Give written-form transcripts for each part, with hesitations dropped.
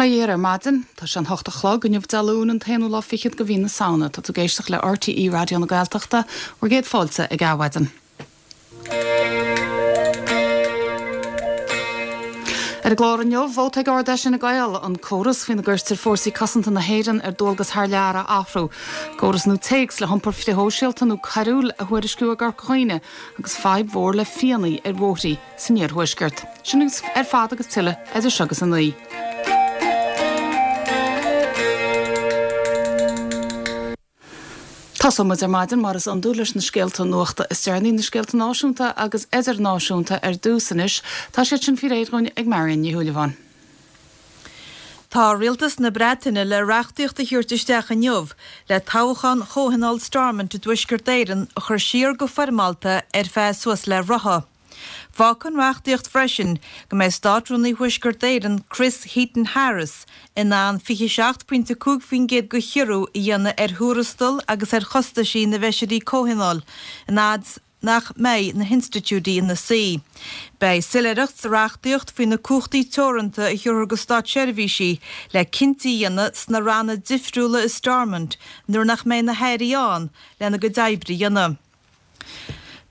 Bail ó Dhia ar maidin. Tá sé an hocht a chlog inniu Dé Luain an t-aonú lá fichead de mhí na Samhna. Tá tú ag éisteacht le RTÉ Raidió na Gaeltachta, bhur gcéad fáilte ag Adhmhaidin. Ar an gclár inniu, vóta ag Ard-Fheis Fhine Gael, an córas faoina gcuirtear Fórsaí Cosanta na hÉireann ar dualgas thar lear a athrú, córas nua téacs le hiompar frithshóisialta nó coiriúil a thuairisciú i gCorca Dhuibhne agus fadhb mhór le fianna ar bhóithrí san iarthuaisceart. Sin ar fad agus tuilleadh idir seo agus a 9. Tosóidh muid ar maidin, mar is iondúil, leis na scéalta nuachta is deireanaí, na scéalta náisiúnta agus idirnáisiúnta ar dtús anois. Tá siad sin faoi réir dhúinn ag Marion Ní Shúilleabháin. Tá Rialtas na Breataine le reachtaíocht a thabhairt isteach inniu le toghchán Chomhthionól Stormont i dTuaisceart Éireann a chur siar go foirmeálta ar feadh suas le ráithe. Fágfaidh an reachtaíocht freisin go mbeidh Státrúnaí Thuaisceart Éireann Chris Heaton-Harris in ann 27.5% de chiorrú a dhéanamh ar thuarastal agus ar chostaisí na bhfeisirí comhthionóil an fhad 's nach mbeidh na hinstitiúidí ina suí. Beidh soiléireacht sa reachtaíocht faoi na cumhachtaí teoranta a thabharfar do státseirbhísigh le cinntí a dhéanamh sna ranna difriúla i Stormont nuair nach mbeidh na hairí ann lena gcuid oibre a dhéanamh.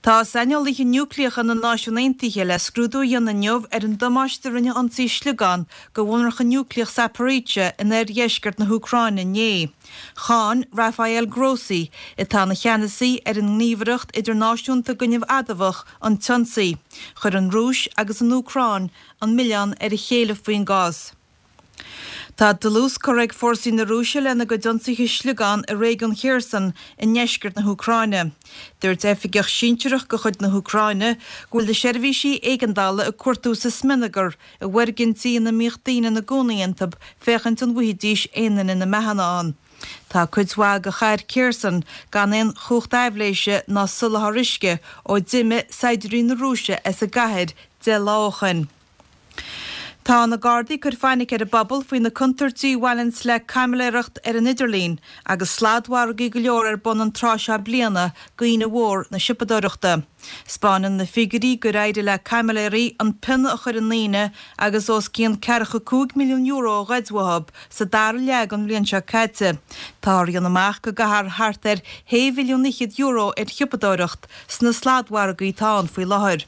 Tá saineolaithe núicléacha na Náisiún Aontaithe le scrúdú a dhéanamh inniu ar an damáiste a rinne ionsaí sliogán do mhonarcha núicléach Zaporizhzhia in oirdheisceart na hÚcráine inné. Cháin Rafael Grossi, atá ina cheannasaí ar an nGníomhaireacht Idirnáisiúnta don Fhuinneamh Adamhach, an t-ionsaí. Chuir an Rúis agus an Úcráin an milleán ar a chéile faoin gcás. Tá dlús curtha ag fórsaí na Rúise lena gcuid ionsaithe sliogán i réigiún Kherson i ndeisceart na hÚcráine. Dúirt oifigeach sinsearach de chuid na hÚcráine go bhfuil na seirbhísí éigeandála ag cuartú sa smionagar i bhfoirgintí ina mbíodh daoine ina gcónaí iontu féachaint an bhfaighidís aon duine na mbeatha ann. Tá cuid mhaith de chathair Kherson gan aon chumhacht aibhléise ná soláthar uisce ó d'imigh saighdiúirí na Rúise as an gcathair 10 lá ó shoin. Tá na Gardaí ag cur fainic ar an bpobal faoi na contúirtí a bhaineanns le caimiléireacht ar an idirlíon agus sladmhargaí go leor ar bun an tráth seo bliana d'Aoine Mhór na Siopadóireachta. 'Spáineann na figiúirí gur éirigh le caimiléirí an pionna a chur i ndaoine agus os cionn €45 milliún a ghoid uathu sa dara leath den bhliain seo caite. Táthar a dhéanamh amach go gcaithfear thart ar shé mhilliún fhichead euro ar shiopadóireacht sna sladmhargaí atá ann faoi láthair.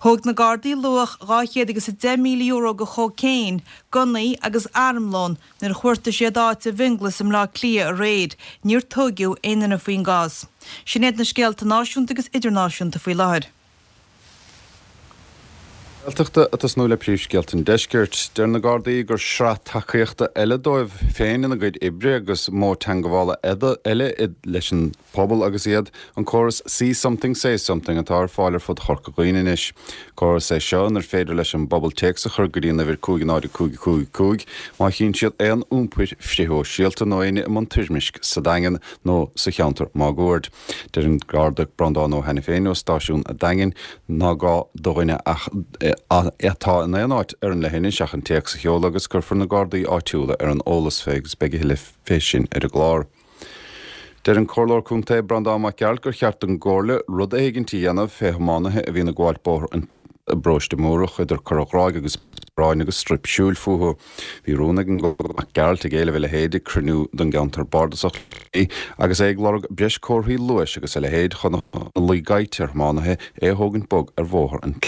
Thóg na Gardaí luach €210,000 de chócaon, gunnaí agus armlón nuair a chuartaigh siad áit i bhFionnghlas i mBleá Cliath aréir. Níor tóigeadh aon duine faoin gcás. Sin iad na scéalta náisiúnta agus idirnáisiúnta faoi láthair. Gaeltachta ag tosnú le príomhscéalta an deiscirt. Deir na Gardaí gur sraith tacaíochta eile dóibh féin ina gcuid oibre agus modh teangabhála eile leis an pobal agus iad, an córas 'See Something Say Something' atá ar fáil ar fud Chorca Dhuibhne anois. Córas é seo inar féidir leis an bpobal téacs a chur go dtí an uimhir 5 0 5 5 5 má chíonn siad aon iompair frithshóisialta nó éinne i mbun toirmisc sa Daingean nó sa cheantar máguaird. Deir an Garda Breandán Ó hAiniféin ó stáisiún an Daingin nach gá do dhuine ach atá in aon áit ar an leithinis ach an téacs a sheoladh agus cuirfear na Gardaí áitiúla ar an eolas fé agus beidh a thuilleadh fé sin ar an gclár. Deir an Comhairleoir Contae Breandán Mac Gearailt gur cheart don gComhairle rud éigint a dhéanamh fé thiománaithe a bhíonn ag gabháilt bóthar an i bParóiste Múrach idir Cora Ghráig agus Bráin agus straidhp siúil fúthu. Bhí rún ag an Mac Gearailt ag éileamh a leithéid ag cruinniú don gceantar bardasach agus é ag lorg breis comharthaí luais agus a leithéid chun a luí gaibhte ar thiománaithe é a thógaint bog ar bhóthar an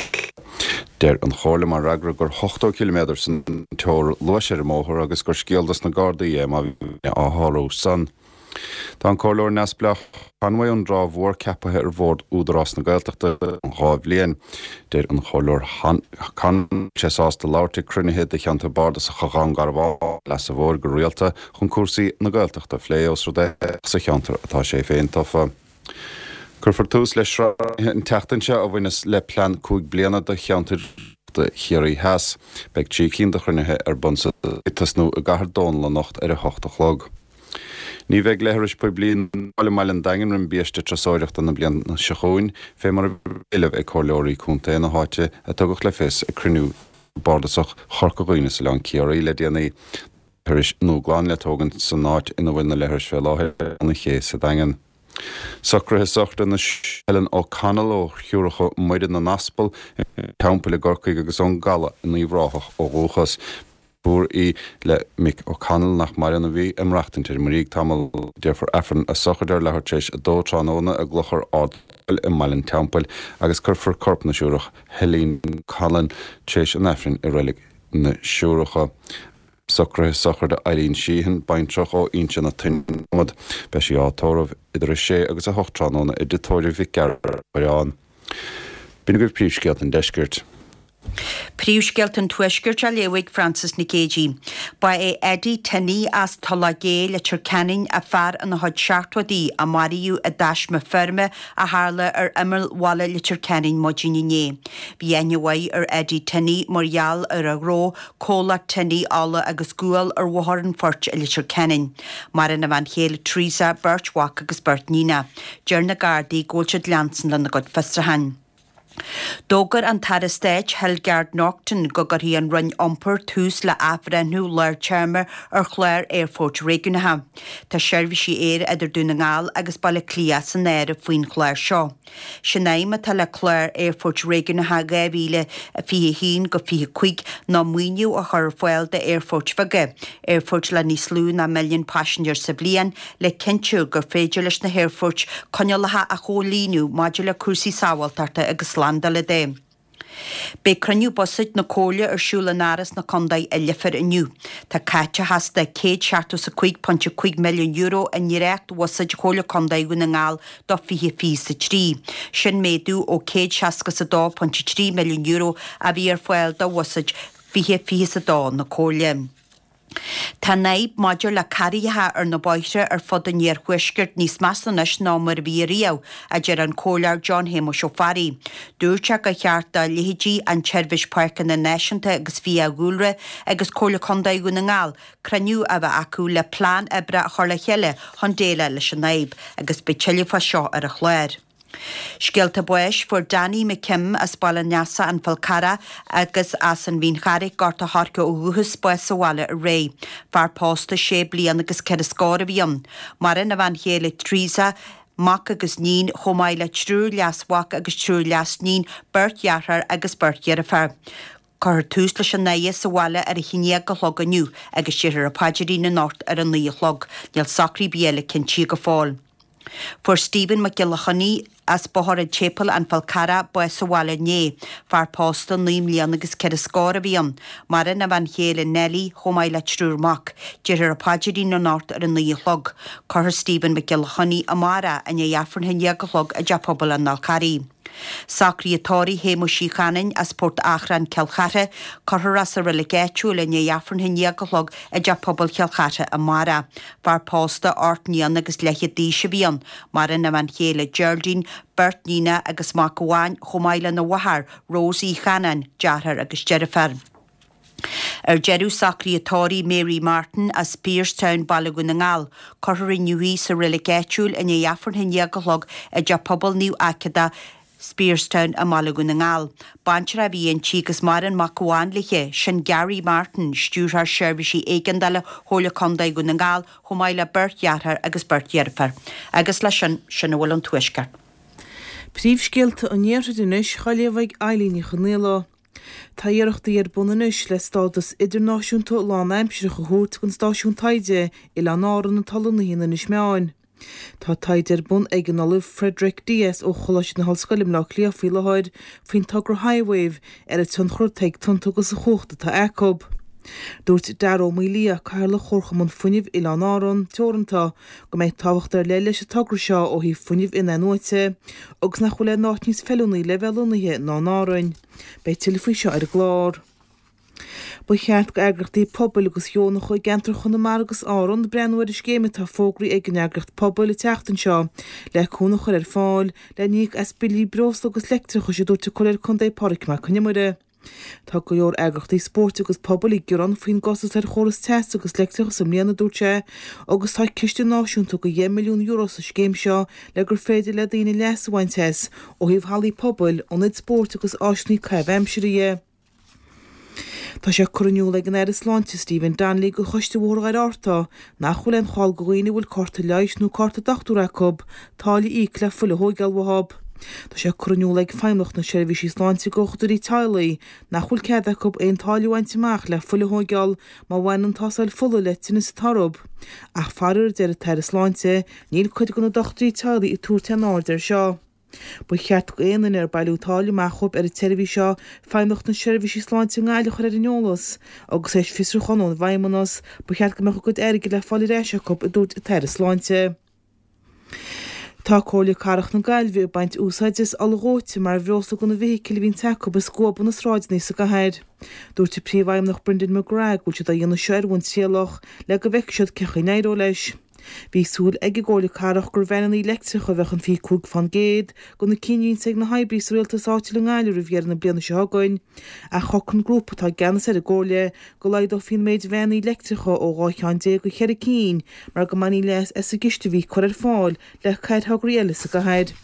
Deir an Chomhairle mar fhreagra gur 80 ciliméadar san teora luais ar an mbóthar agus gur scéal dos na Gardaí é má bhíonn á shárú san. Tá an Comhairleoir neamhspleách Conway ón dTrá Mhór ceapaithe ar bhord Údarás na Gaeltachta don 2 bhliain. Deir an Comhairleoir Conway sé sásta labhairt ag cruinnithe de cheantar bardasacha Dhún Garbhán Leasa Mhóir go rialta chun cúrsaí na Gaeltachta a phlé os rud é sa cheantar atá sé féin tofa. Cuirfear tús le sraith an tseachtain seo a bhaineas le plean 5 bliana do cheantar Chiarraí Theas. Beidh 3 cinn de chruinnithe ar bun sa ag tosnú i gCathair Dónall anocht ar 8 a chlog. Ní bheidh leithris poiblí nua i mbaile an Daingin roim biaiste turasóireachta na bliana seo chugainn, fé mar a bhí á éileamh ag comhairleoirí contae na háite a tugadh le fios ag cruinniú bardasach Chorca Dhuibhne is Oileán Ciarraí le déanaí. Leithris nua glan le tógaint san áit ina bhfuil na leithris fé láthair ar an ché sa Daingean. Socruithe sochraide na Helen O'Connell ó Shiúracha Muire na nAspal i Teampaill i gCorcaigh agus ón gCaladh in Uíbh Ráthach ó dhúchas. Deirfiúr í le Mick O'Connell, nach maireann, a bhí ag maireachtaint ar an mBríg tamall. Déarfar Aifreann a sochraide ar leathuair tar éis a dó tráthnóna i gClochar Ard Fhóill i mBaile an Teampaill agus cuirfear corp na Siúrach Helene Conlon tar éis an Aifrinn i Reilig na Siúracha. Socruithe sochraide Eileen Sheehan, baintreach ó Inse na Toinne Dromad. Beidh sí á tórramh idir 6 agus 8 tráthnóna i dTigh Tórraimh Mhic Gearailt, Coireán. B'in agaibh príomhscéalta an deiscirt. Príomhscéalta an Tuaiscirt á léamh ag Frances Nic Géadaigh. Ba é Eddie Tinney as Tulach Gé, Leitir Ceanainn, a fear ina chuid seachtóidí a maraíodh i dtaisme feirme a tharla ar imeall bhaile Leitir Ceanainn maidin inné. Bhí aithne mhaith ar Eddie Tinney mar gheall ar a ghnó, comhlacht Tinney Ola agus Gual ar Bhóthar an Phoirt i Leitir Ceanainn. Maireann a bhean chéile Teresa, beirt mhac agus beirt níonacha. Deir na Gardaí go bhfuil siad leanstan lena gcuid fiosruchán. D'fhógair an tAire Stáit Hildegarde Naughton go gcuirfidh an Roinn Iompair tús le athbhreithniú lár-téarma ar chlár aerfoirt réigiúnacha. Tá seirbhísí aeir idir Dún na nGall agus Baile Átha Cliath san áireamh faoin chlár seo. Sé'n aidhm atá le clár aerfoirt réigiúnacha 2021-25 ná maoiniú a chur ar fáil d'aerfoirt bheaga, aerfoirt le níos lú ná milliún paisinéir sa bhliain, le cinntiú gur féidir leis na haerfoirt coinníollacha a chomhlíonadh maidir le cúrsaí sábháilteachta agus slándála de. Beidh cruinniú buiséid na Comhairle ar siúl in Áras na Condae i Leifear inniu. Tá caiteachas de €175.5 milliún i ndréacht-bhuiséad Chomhairle Condae Dhún na nGall do 2023. Sin méadú ó €162.3 milliún a bhí ar fáil do bhuiséad 2022 na Comhairle. Tá an fhadhb maidir le carraigheacha ar na bóithre ar fud an iarthuaiscirt níos measa anois ná mar a bhí ariamh, a deir an Comhairleoir John Shéamuis Ó Fearraigh. Dúirt sé gur cheart do leithéidí an tSeirbhís Páirceanna Náisiúnta agus Fiadhúlra agus Comhairle Contae Dhún na nGall cruinniú a bheith acu le plean oibre a chur le chéile chun déileáil leis an fhadhb agus beidh tuilleadh fá seo ar an chlár. Scéalta báis, Fuair Danny McKim as Baile an Easa, An Fál Carrach, agus as an Mhín Charraig, Gort a' Choirce ó dhúchas, bás sa bhaile aréir. Fear pósta sé bliana agus ceithre scór a bhí ann. Maireann a bhean chéile Teresa, mac agus níon, chomh maith le triúr leasmhac agus triúr leasníon, beirt dheartháir agus beirt dheirféar. Cuirfear tús leis an fhaire sa bhaile ar a haon dhéag a chlog inniu agus déarfar an paidrín anocht ar a naoi a chlog. Níl socruithe ar bith eile cinntithe go fóill. Fuair Stephen Mac Giolla Chainnigh as Bóthar an tSéipéil, An Fál Carrach, bás sa bhaile inné. Fear pósta naoi mbliana agus ceithre scór a bhí ann. Maireann a bhean chéile Nellie chomh maith le triúr mac. Déarfar an paidrín anocht ar a naoi a chlog. Cuirfear Stephen Mac Giolla Chainnigh amárach i ndiaidh Aifreann a haon déag a chlog i dTeach Pobail an Fháil Charraigh. Socruithe tórraimh Shéamuis Uí Chanainn as Port Achrann, Cill Chartha, cuirfear é sa reilig áitiúil i ndiaidh Aifreann a haon déag a chlog i dTeach Pobail Chill Chartha amárach. Fear pósta 8 mbliana agus leathchéad d'aois a bhí ann. Maireann a bhean chéile Geraldine, beirt níonacha agus mac amháin, chomh maith lena mháthair, Rose Uí Chanáin, deartháir agus deirfiúr. Ar deireadh, socruithe tórraimh Mary Martin as Piercetown, Baile Dhún na nGall. Cuirfear inniu í sa reilig áitiúil i ndiaidh Aifreann a haon déag a chlog i dTeach Pobail Naomh Aiceada, Spearstown i mBaile Dhún na nGall. Baintreach a bhí inti agus maireann mac amháin léi, sin Gary Martin, Stiúrthóir Seirbhísí Éigeandála Chomhairle Contae Dhún na nGall, chomh maith le beirt dheartháir agus beirt dheirféar. Agus leis sin, sin a bhfuil ón Tuaisceart. Príomhscéalta an Iarthair anois, á léamh ag Eilín Ní Chonaola. Tá iarrachtaí ar bun anois le stádas idirnáisiúnta lánaimsearach a thabhairt don stáisiún taighde Oileáin Árann atá lonnaithe in Inis Meáin. Tá taighde ar bun ag an Ollamh Frederick Dias ó Choláiste na hOllscoile i mBleá Cliath faoi láthair faoin togra HiWave ar an tionchar atá ag tonnta agus an chumhacht atá acu. Dúirt Dara Ó Maolaodha, Cathaoirleach Chomharchumann Fuinnimh Oileáin Árann Teoranta, go mbeidh tábhacht ar leith leis an togra seo ó thaobh fuinneamh in-athnuaite agus nach bhfuil aon áit níos feiliúnaí le bheith lonnaithe ná in Árainn. Beidh tuilleadh faoi seo ar an gclár. Ba cheart go eagraíochtaí pobail agus dheonacha i gceantar Chonamara agus Árann breathnú ar an scéim atá fógraithe ag an eagraíocht Pobal an tseachtain seo le cúnamh a chur ar fáil le n-íoc as billí breosla agus leictreachais a dúirt an Comhairleoir Contae Pádraig Mac Con Iomaire. Tá go leor eagraíochtaí spóirt agus pobail ag gearán faoin gcostas ar chóras teasa agus leictreachais i mbliana, a dúirt sé, agus tá ciste náisiúnta de €10 milliún sa scéim seo le gur féidir le daoine leas a bhaint as, ó thaobh hallaí pobail, ionaid spóirt agus áiseanna caitheamh aimsire dhe. Tá sé curtha in iúl ag an Aire Sláinte Stephen Donnelly do Choiste Bhóthar Dhoire Fhatharta nach bhfuil aon chall do dhaoine a bhfuil cárta leighis nó cárta dochtúra acu táille a íoc le fuil a thóigeáil uathu. Tá sé curtha in iúl ag Feidhmeannacht na Seirbhísí Sláinte go dhochtúirí teaghlaigh nach bhfuil cead acu aon táille a bhaint amach le fuil a thóigeáil má bhaineann an tástáil fola le tinneas an tarbh. Ach faraor, a deir an tAire Sláinte, níl cuid de na dochtúirí teaghlaigh ag tabhairt aon aird air seo. Ba cheart go aon duine ar bailíodh táille amach dhóibh ar an tseirbhís seo Feidhmeannacht na Seirbhísí Sláinte i nGaillimh a chur ar an eolas agus théis fiosrúchán ón bhFeidhmeannas, ba cheart go mbeadh a gcuid airgid le fáil ar ais acu, a dúirt an tAire Sláinte. Tá Comhairle Cathrach na Gaillimhe ag baint úsáide as ola dhóite mar bhreosla do na bhfeithiclí a bhíonns acu ag scuabadh na sráideanna sa gcathair. Dúirt an Príomhfheidhmeannach Brendan McGrath go bhfuil siad á dhéanamh seo ar bhonn trialach le go bhfeicfidh siad cén chaoi a n-éireoidh leis. Bhí súil ag an gComhairle Cathrach gur veaineanna leictreacha a bheadh in 25 fán gcéad de na cinn a bhíonns ag na hoibrithe sa rialtas áitiúil i nGaillimh roimh dheireadh na bliana seo chugainn, ach shocraigh an grúpa atá i gceannas ar an gComhairle go laghdófaí an méid veaineanna leictreacha ó 12 cheann go cheithre cinn mar go mbainfí leas as an gciste a bhí curtha ar fáil le haghaidh thograí eile sa gcathair.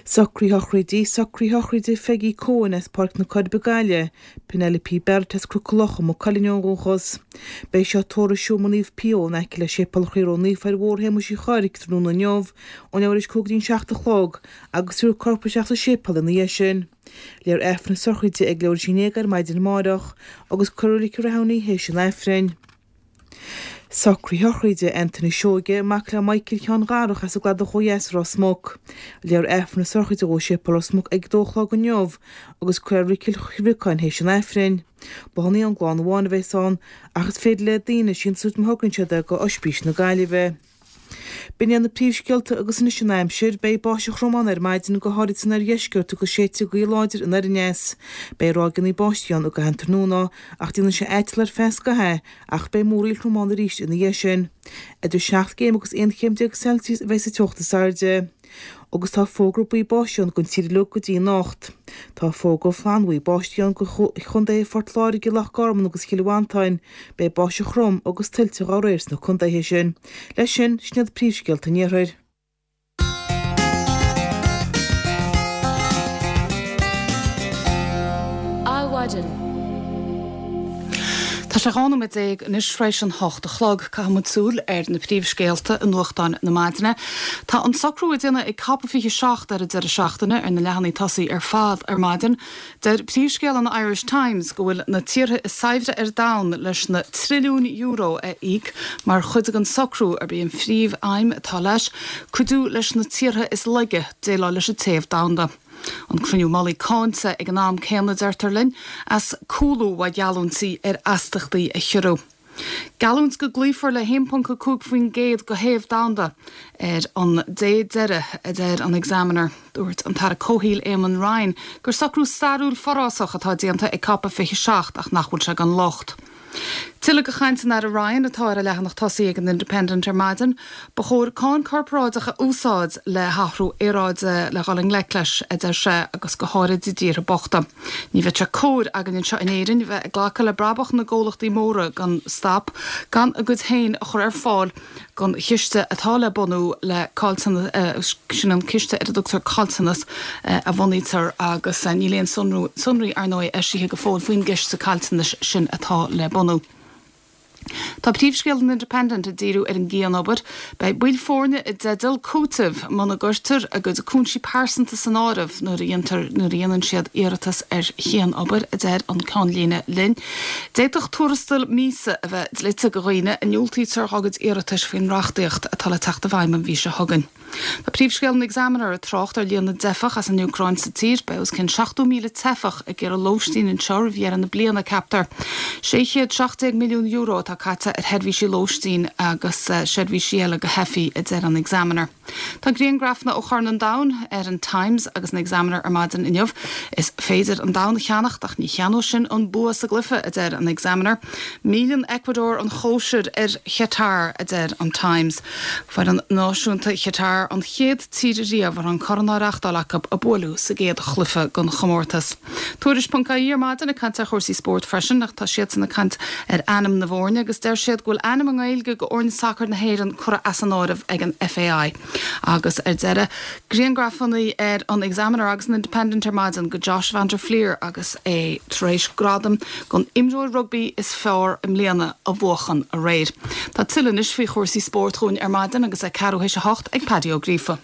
Socruithe sochraide, Socruithe sochraide Pheigí Coen as Páirc na Coiribe Gaillimh, Penelope Barrett as Cnoc na Locha, Maigh Cuilinn ó dhúchas. Beidh seo tórramh i Seomra Naomh Pio in aice le Séipéal Chroí Ró-Naofa ar Bhóthar Shéamuis Uí Chorraic tráthnóna inniu ón leathuair théis 5 go dtí an 7 a chlog agus tabharfar a corp isteach sa séipéal ina dhiaidh sin. Léifear Aifreann na sochraide ag leathuair théis 11 ar maidin amáireach agus cuirfear i Reilig Rathumhna í théis an Aifrinn. Socruithe sochraide Anthony Seoige, mac le Michael Sheáin Dharach as an gCladach ó dheas Ros Muc. Léifear Aifreann na sochraide dhó i Séipéal Ros Muc ag a dó a chlog inniu agus cuirfear i Reilig Chill Bhriocáin théis an Aifrinn. Bláthanna ón gclann amháin a bheas ann ach is féidir le daoine síntiús a thabhairt má thograíonn siad é go Oispís na Gaillimhe. B'in iad na príomhscéalta agus anois an aimsir. Beidh báisteach throm ann ar maidin, go háirid san oirdheisceart agus séidfidh gaoth láidir anoir aneas. Beidh ráigeanna báistí ann i gcaitheamh an tráthnóna ach déanfaidh sé aiteal ar feadh scaithimh ach beidh múraíl throm ann arís ina dhiaidh sin. Idir 7 gcéim agus 11 chéim Celsius a bheidh sa teocht is airde. Agus tá fógra buí báistí ann don tír uilig go dtí anocht. Tá fógra flannbhuí báistí ann do chontaetha Phort Láirge, Loch Garman agus Chill Mhantáin. Beidh báisteach throm agus tuilte dá réir sna contaetha sin. Leis sin, sin iad príomhscéalta an iarthair. Adhmhaidin. Tá sé 12 nóiméad anois tar éis an hocht a chlog. Caithfidh muid súil ar na príomhscéalta i nuachtáin na maidine. Tá an socrú a déanadh ag Cop 27 ar an deireadh seachtaine ar na leathanaigh tosaigh ar fad ar maidin. Deir príomhscéal an Irish Times go bhfuil na tíortha is saibhre ar domhan leis na trilliúin euro a íoc mar chuid den socrú arb í an phríomh-aidhm atá leis cuidiú leis na tíortha is laige déileáil leis an téamh domhanda. An cruinniú mullaigh cáinte ag an am céanna, deirtear linn, as cúlú uaidh gheallúintí ar astachtaí a chiorrú. Geallúint go gcloífear le 1.5% de théamh domhanda ar an dé deiridh, a deir an Examiner. Dúirt an tAire Comhshaoil Eamon Ryan gur socrú stairiúil forásach atá déanta ag Cop 27 ach nach bhfuil sé gan locht. Tuilleadh de chaint an Aire Ryan atá ar an leathanach tosaigh ag an Independent ar maidin. Ba chóir cáin corparáideach a úsáid le hathrú aeráide le dhul i ngleic leis, a deir sé, agus go háirid i dtíortha bochta. Ní bheadh sé cóir againn anseo in Éirinn bheith ag glacadh le brabach na gcomhlachtaí móra gan stop, gan a gcuid féin a chur ar fáil don chiste atá le bunú le caillteanas, sin an ciste ar a dtugtar caillteanas a bhunaítear agus níl aon sonraí, ar ndóigh, eisithe go fóill faoin gciste caillteanais sin atá le bunú. Tá príomhscéal an Independent ag díriú ar an gcianobair. Beidh baill foirne i dteideal cúitimh muna gcuirtear a gcuid cúinsí pearsanta san áireamh nuair a dhéantar nuair a dhéanann siad iarratas ar chianobair, a deir an ceannlíne linn. D'fhéadfadh tuarastal míosa a bheith dlite do dhaoine a ndiúltaítear dá gcuid iarratais faoin reachtaíocht atá le teacht i bhfeidhm an mhí seo chugainn. Tá príomhscéal an Examiner ag trácht ar líon na dteifeach as an Úcráin sa tír. Beidh os cionn 70,000 teifeach ag iarraidh lóistín anseo roimh dheireadh na bliana, ceaptar. €617 milliún atá caite ar sheirbhísí lóistín agus seirbhísí eile do theifigh, a deir an Examiner. Tá griangrafanna ó Chorn an Domhain ar an Times agus an Examiner ar maidin inniu. Is féidir an domhan a cheannacht ach ní cheannóidh sin an bua sa gcluiche, a deir an Examiner. Milleann Ecuador an chóisir ar Chatar, a deir an Times. Foireann náisiúnta Chatar an chéad tír riamh a raibh an corn á reachtáil acu a buaileadh sa gcéad chluiche den chomórtas. Tuairisc.ie ar maidin ag caint ar chúrsaí spóirt freisin ach tá siadsan ag caint ar ainm na bhfoirne agus deir siad go bhfuil ainm i nGaeilge go fhoirne sacair na hÉireann curtha as an áireamh ag an FAI. Agus ar deireadh, griangrafanna ar an Examiner agus an Independent ar maidin go Josh van der Flier agus é tar éis gradam don imreoir rugbaí is fearr i mbliana a bhuachan aréir. Tá tuilleadh anois faoi chúrsaí spóirt dhúinn ar maidin agus é ceathrú théis a hocht ag Paddy Ó Gríofa.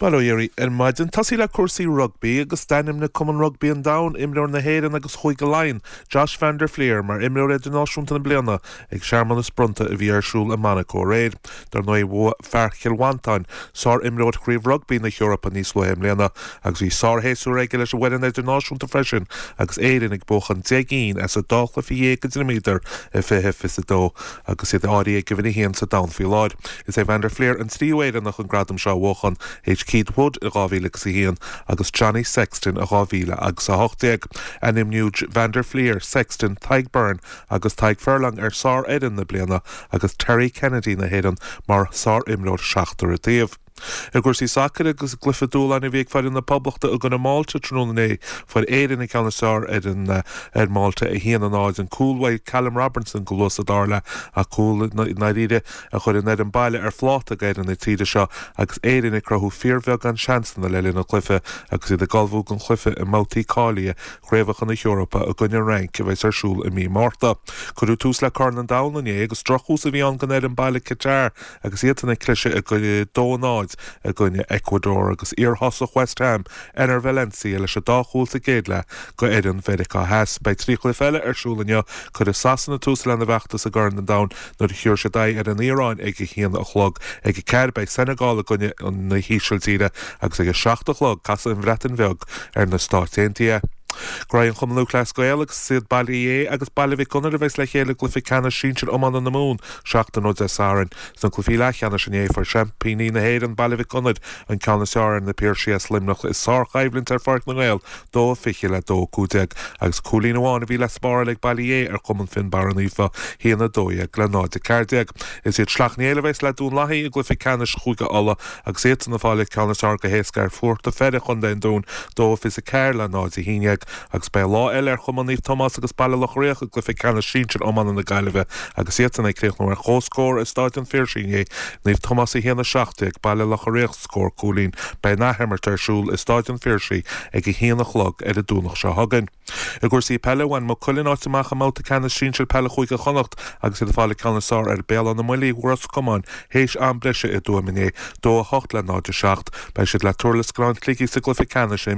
Bail ó Dhia oraibh ar maidin. Tosaí le cúrsaí rugbaí agus d'ainmnigh Cumann Rugbaí an Domhain imreoir na hÉireann agus Chúige Laighean, Josh van der Flier, mar Imreoir Idirnáisiúnta na Bliana ag searmanas bronnta a bhí ar siúl i Monaco aréir. Dar ndóigh, bhuaigh fear Chill Mhantáin Sár-Imreoir Chraobh Rugbaí na hEorpa níos luaithe i mbliana agus bhí sár-shéasúr aige leis an bhfoireann idirnáisiúnta freisin agus Éirinn ag buachan 10 gcinn as an dá chluiche dhéag a d'imríodar i 2022. Agus iad áirithe ag uimhir a haon sa domhan faoi láthair, is é Van der Flier an tríú Éireannach an gradam seo a bhuachan, théis Keith Wood i 2001 agus Johnny Sexton i 2018. Ainmníodh Van der Flier, Sexton, Tadhg Beirne agus Tadhg Furlong ar Sár-Fhoireann na Bliana agus Terry Kennedy na hÉireann mar Sár-Imreoir Seachtar an Taobh. I gcúrsaí sacair agus i gcluiche dúshláin a bhí ag foireann na Poblachta i gcoinne Málta tráthnóna inné, fuair Éirinn an ceann is fearr ar an ar Málta, 1, 0. An cúl uaidh Callum Robinson go luath sa dara leath ach cúl i ndáiríre a chuir an fhoireann baile ar phláta ag fhoireann na tíre seo agus Éirinn ag cruthú fíorbheagán seansanna le linn an chluiche agus iad ag ullmhú don chluiche i mbabhtaí cáilithe Chraobhacha na hEorpa i gcoinne an Fhrainc a bheas ar siúl i mí Márta. Cuireadh tús le Corn an Domhain inné agus drochthús a bhí ann don fhoireann baile Qatar agus iadsan ag cliseadh 2, 0 i gcoinne Ecuador agus iarthosach West Ham, Enner Valencia leis an dá chúl sa gcéad leath go fhoireann Mheiriceá Theas. Beidh 3 chluiche eile ar siúl inniu. Cuirfidh Sasana tús lena bhfeachtas i gCorn an Domhain nuair a thiúrfaidh siad aghaidh ar an Iaráin ag a haon a chlog. Ag a ceathair beidh Senegal i gcoinne na hÍsiltíre agus ag a seacht a chlog casfaidh an Bhreatain Bheag ar na Stáit Aontaithe. Graí an Chumann Lúthchleas Gael agus is iad Baile Uí Aodha agus Baile Mhic Gonair a bheas le chéile i gcluiche ceannais sinsir iomána na Mumhan seachtain ó Dé Sathairn. Sna cluichí leathcheannais inné fuair seaimpíní na hÉireann, Baile Mhic Gonair, an ceann is fearr ar na Piarsaigh as Luimneach i sárchoimhlint ar Pháirc na nGael, 2-20 le 2-15, agus cúilín amháin a bhí le spáráil ag Baile Uí Aodha ar Chumann Fionnbarra Naofa, 1-12 le 0-14. Is iad Sleacht Néill a bheas le Dún Lathaí i gcluiche ceannais Chúige Uladh agus iadsan ag fáil an ceann is fearr go héasca ar Phort a' Pheire Chontae an Dúin, 2-24 le 0-11, agus beidh lá eile ar Chumann Naomh Tomás agus Baile Locha Riach i gcluiche ceannais sinsir iomána na Gaillimhe agus iadsan ag críochnú ar comhscór i Stáid an Phiarsaigh inné, Naomh Tomás 1-17, Baile Locha Riach scór cúilín. Beidh an athimirt ar siúl i Stáid an Phiarsaigh ag 1 a chlog ar an Domhnach seo chugainn. I gcúrsaí peile, bhain Maigh Cuilinn áit amach i mbabhta ceannais sinsir peile Chúige Chonnacht agus iad ag fáil an ceann is fearr ar Béal Átha na mBuillí, Ros Comáin, théis am breise i dTuaim inné, 2-8 le 0-7. Beidh siad le Durlas Gleann Shligigh sa gcluiche ceannais a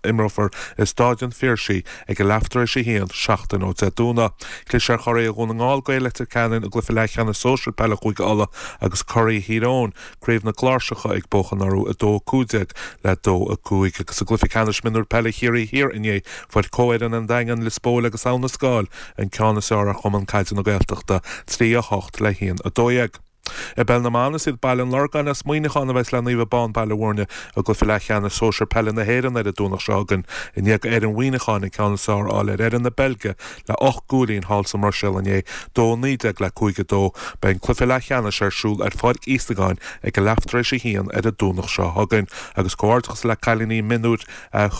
imreofar i Stáid an Phiarsaigh ag a leath tar éis a haon, seachtain ó Dé Domhnaigh. Chlis ar churaidh Dhún na nGall, Gaeil Leitir Ceanainn, i gcluiche leathcheannais sóisir peile Chúige Uladh agus curaidh Thír Eoghain, Craobh na gCláirseacha ag buachan orthu 2-15 le 2-5 agus i gcluiche ceannais mionúir peile Chiarraí Thiar inné fuair comhfhoireann an Daingean, Lios Póil agus Abha na Scáil an ceann is fearr ar Chumann Caide na Gaeltachta, 3-8 le 1-12. I bPeil na mBan, is iad Baile an Lorgáin as Muineachán a bheas le Naomh Abán Baile Bhúirne i gcluiche leathcheannais sóisir peile na hÉireann ar an Domhnach seo chugainn i ndiaidh d'fhoireann Mhuineacháin an ceann is fearr a fháil ar fhoireann na Beilge le 8 gcúilín thall sa mBruiséil inné, 2-19 le 5-2. Beidh an cluiche leathcheannais ar siúl ar Pháirc Íosagáin ag a leath tar éis a haon ar an Domhnach seo chugainn. Agus comhghairdeachas le cailíní mionúir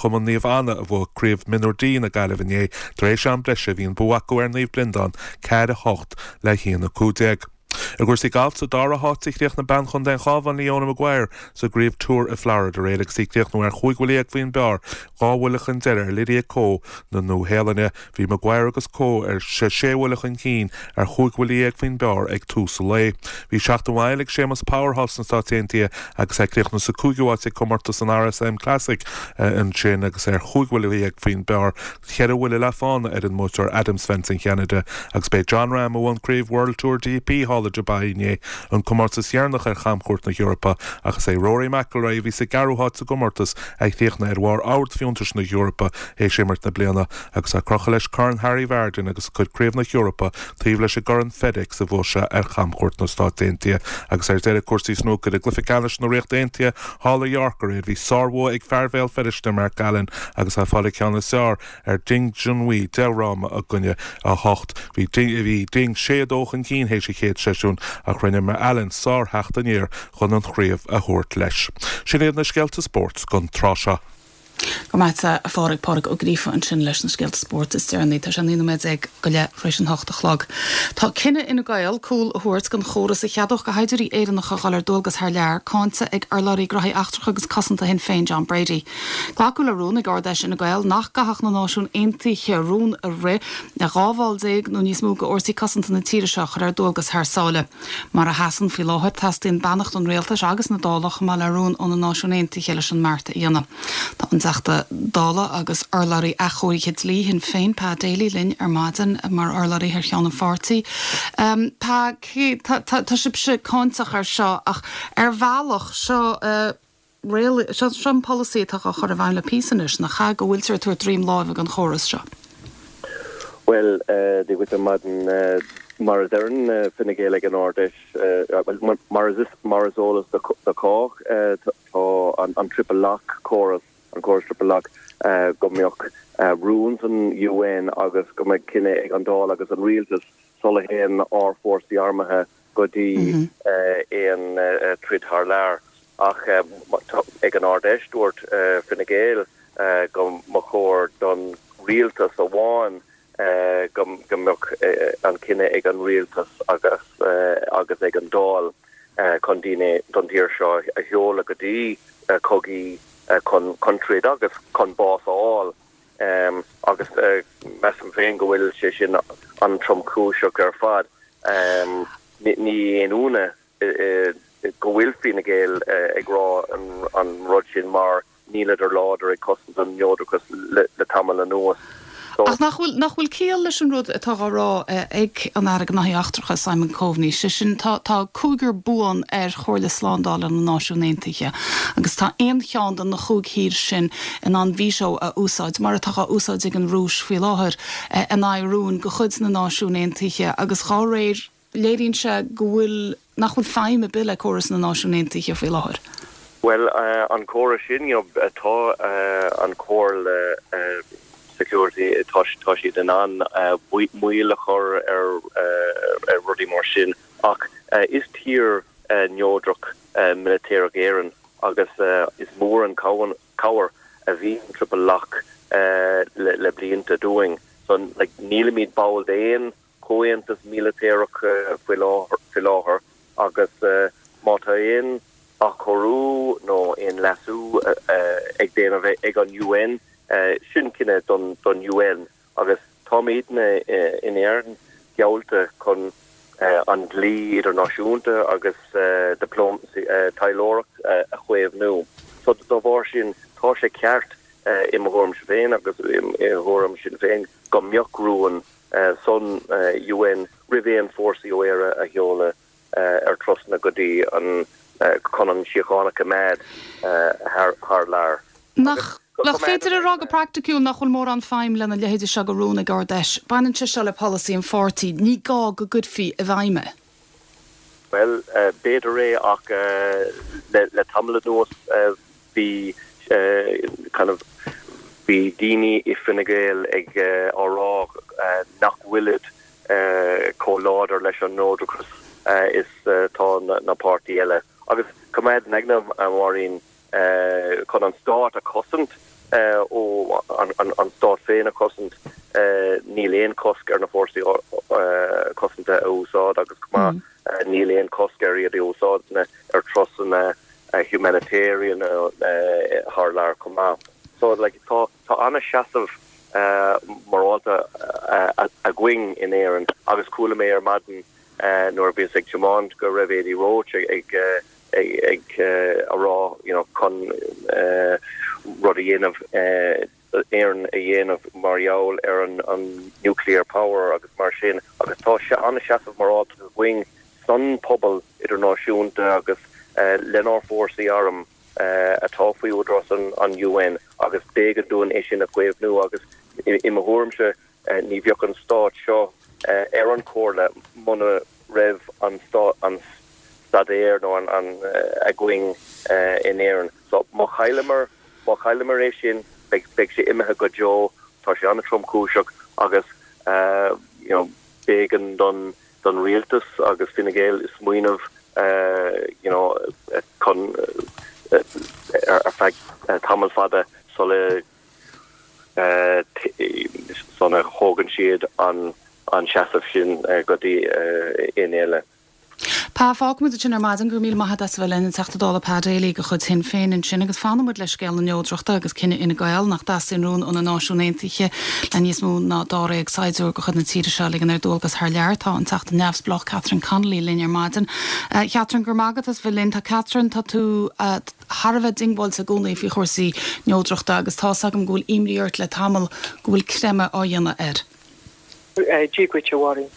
Chumann Naomh Anna a bhuaigh Craobh Mionúir D na Gaillimhe inné tar éis am breise bhí an bua acu ar Naomh Breandán, 4-8 le 1-15. I gcúrsaí gailf, sa dara háit a chríochnaigh bean chontae an Chabháin, Leona Maguire, sa gcraobh Tour i Florida aréir agus í ag críochnú ar chúig bhuille dhéag faoin bpar, 2 bhuille chun deiridh ar Lydia Ko na Nua-Shéalainne. Bhí Maguire agus Ko ar sé bhuille chun cinn ar chúig bhuille dhéag faoin bpar ag tús an lae. Bhí seachtain mhaith eile ag Séamus Power thall sna Stáit Aontaithe agus é ag críochnú sa cúigiú háit ag comórtas an RSM Classic ansin agus é ar chúig bhuille dhéag faoin bpar. Cheithre bhuille le fána ar an mbuaiteoir Adam Svensson Cheanada agus b'é Jon Rahm a bhuaigh an craobh World Tour DP thall i Dubai inné, an comórtas dheireanach ar chamchuairt na hEorpa, ach is é Rory McIlroy a bhí sa gceathrú háit sa gcomórtas a chríochnaigh ar bharr ord fiúntais na hEorpa théis imirt na bliana agus é ag crochadh leis Corn Harry Vardon agus ag cur Craobh na hEorpa taobh leis an gCorn FedEx a bhuaigh sé ar chamchuairt na Stát Aontaithe. Agus ar deireadh cúrsaí snúcair i gcluiche ceannais na Ríochta Aontaithe thall i York aréir bhí sárbhua ag fear Bhéal Feirste Mark Allen agus é ag fáil an ceann is fearr ar Ding Junhui 10 fhráma i gcoinne 8. Bhí Bhí Ding 6 2 chun cinn théis an chéad seisiúin ach rinne Allen sár-theacht aniar chun an chraobh a thabhairt leis. Sin iad na scéalta spóirt don tráth seo. Go raibh maith agat, a Phádraig. Pádraig Ó Gríofa ansin leis na scéalta spóirt is deireanaí. Tá sé 19 nóiméad go leith tar éis an hocht a chlog. Tá cinneadh Fhine Gael cúl a thabhairt don chóras a cheadódh do shaighdiúirí Éireannacha dhul ar dualgas thar lear cáinte ag urlabhraí Gnóthaí Eachtracha agus Cosanta Shinn Féin John Brady. Glacadh le rún ag Ard-Fheis Fhine Gael nach gcaithfeadh na Náisiúin Aontaithe rún a rith le 12 bhall nó níos mó d'fhórsaí cosanta na tíre seo a chur ar dualgas thar sáile. Mar a sheasann faoi láthair, teastaíonn beannacht an rialtais agus na Dála chomh maith le rún ó na Náisiúin Aontaithe leis an mbeart a dhéanamh. Tá an Teachta Dála agus urlabhraí athchóirithe dlí Shinn Féin, Pa Daly, linn ar maidin mar urlabhraí thar cheann an pháirtí. Pa, tá sibhse cáinteach air seo ach ar bhealach, seo. Seo an polasaí atá á chur i bhfeidhm le píosa anois, nach ea, go bhfuiltear ag tabhairt droim láimhe don chóras seo? Bhuel, Dia dhuit ar maidin. Mar a deireann Fine Gael ag an Ard-Fheis, bhuel, mar is mar is eolas do chách, tá an Triple Lock córas, an córas Triple Lock, go mbeadh rún san UN agus go mbeadh cinneadh ag an Dáil agus an Rialtas sula théann ár bhfórsaí armtha go dtí aon troid thar lear. Ach ag an Ard-Fheis dúirt Fine Gael go mba chóir don rialtas amháin go mbeadh an cinneadh ag an rialtas agus agus ag an Dáil chun daoine don tír seo a sheoladh go dtí cogaí chun troid agus chun bás a fháil. Agus measaim féin go bhfuil sé sin an-tromchúiseach ar fad. Ní haon ionadh go bhfuil Fine Gael ag rá an rud sin mar níleadar láidir ag cosaint an neodrachas le tamall anuas. Ach nach bhfuil, nach bhfuil ciall leis an rud atá á rá ag an Aire Gnóthaí Eachtracha, Simon Coveney, sé sin, tá, tá cúigear buan ar Chomhairle Slándála na Náisiún Aontaithe agus tá aon cheann de na chúig thír sin in ann veto a úsáid, mar atá á úsáid ag an Rúis faoi láthair, in aghaidh rúin de chuid na Náisiún Aontaithe agus dhá réir, léiríonn sé go bhfuil, nach bhfuil feidhm ar bith le córas na Náisiún Aontaithe faoi láthair. Bhuel, an córas sin, you know, tá an Chomhairle Security, tá siad in ann moill a chur ar rudaí mar sin ach is tír neodrach militéireach Éireann agus is mór an cabhair a bhí an Triple Lock le blianta dúinn. So, like, nílimid ball d'aon comhaontas mílitéireach faoi láthair agus má tá aon athchóiriú nó aon leasú ag déanamh ag an UN, sin cinneadh don UN agus táimidne in Éirinn geallta chun an dlí idirnáisiúnta agus taidhleoireacht a chaomhnú. So dá bharr sin tá sé ceart i mo thuairimse féin agus i thuairim Sinn Féin go mbeadh rún san UN roimh aon fórsaí ó Éire a sheoladh ar trasna go dtí an chun an síocháin a choimeád thar lear. Nach féidir a rá go praiticiúil nach bhfuil mórán feidhm lena leithéide seo de rún ag Ard-Fheis? Baineann sé seo le polasaí an pháirtí, ní gá go gcuirfí i bhfeidhm é. Bhuel, b'fhéidir é ach le tamall anuas bhí kind of bhí daoine i Fine Gael ag á rá nach bhfuilid chomh láidir leis an neodrachas is tá na páirtí eile. Agus coimeád in aigne, a Mháirín, chun an stát a chosaint ó an stát féin a chosaint, níl aon chosc ar na fórsaí cosanta a úsáid agus chomh maith níl aon chosc ar iad a úsáid ar turasanna humanitarian thar lear chomh maith. So like tá tá an-seasamh morálta againn in Éirinn agus chuala mé ar maidin nuair a bhíos ag tiomáint go raibh Adi Roche ag ag a rá you know chun rud a dhéanamh Éireann a dhéanamh mar gheall ar an nuclear power agus mar sin agus tá an-seasamh morálta againn san pobal idirnáisiúnta agus lenár fórsaí arm atá faoi údarás an UN agus b'éigean dúinn é sin a chaomhnú agus i mo thuairimse Ní bheadh an stát seo ar an Chomhairle muna raibh an an staidéar nó an againn in Éirinn. So má chailleamar má chailleamar é sin beidh beidh sé imithe go deo. Tá sé an-tromchúiseach agus you know b'éigean don don rialtas agus Fine Gael smaoineamh you know chun ar feadh tamall fada. sula sula thógann siad an seasamh sin go dtí éinne eile. Pa, fágfaimid ansin ar maidin. Go raibh míle maith agat as a bheith linn, an Teachta Dála Pa Daly de chuid Shinn Féin ansin agus fanfaidh muid le scéal na neodrachta agus cinneadh Fhine Gael nach dteastaíonn rún ó na Náisiúin Aontaithe le níos mó ná dáréag saighdiúir de chuid na tíre seo a ligean ar dualgas thar lear. Tá an Teachta Neamhspleách Catherine Connolly linn ar maidin. A Chatherine, go raibh maith agat as a bheith linn. Tá Catherine, tá tú thar a bheith diongbháilte i gcónaí faoi chúrsaí neodrachta agus tá's agam go bhfuil imní ort le tamall go bhfuil creimeadh á dhéanamh air. Dia dhuit, a Mháirín,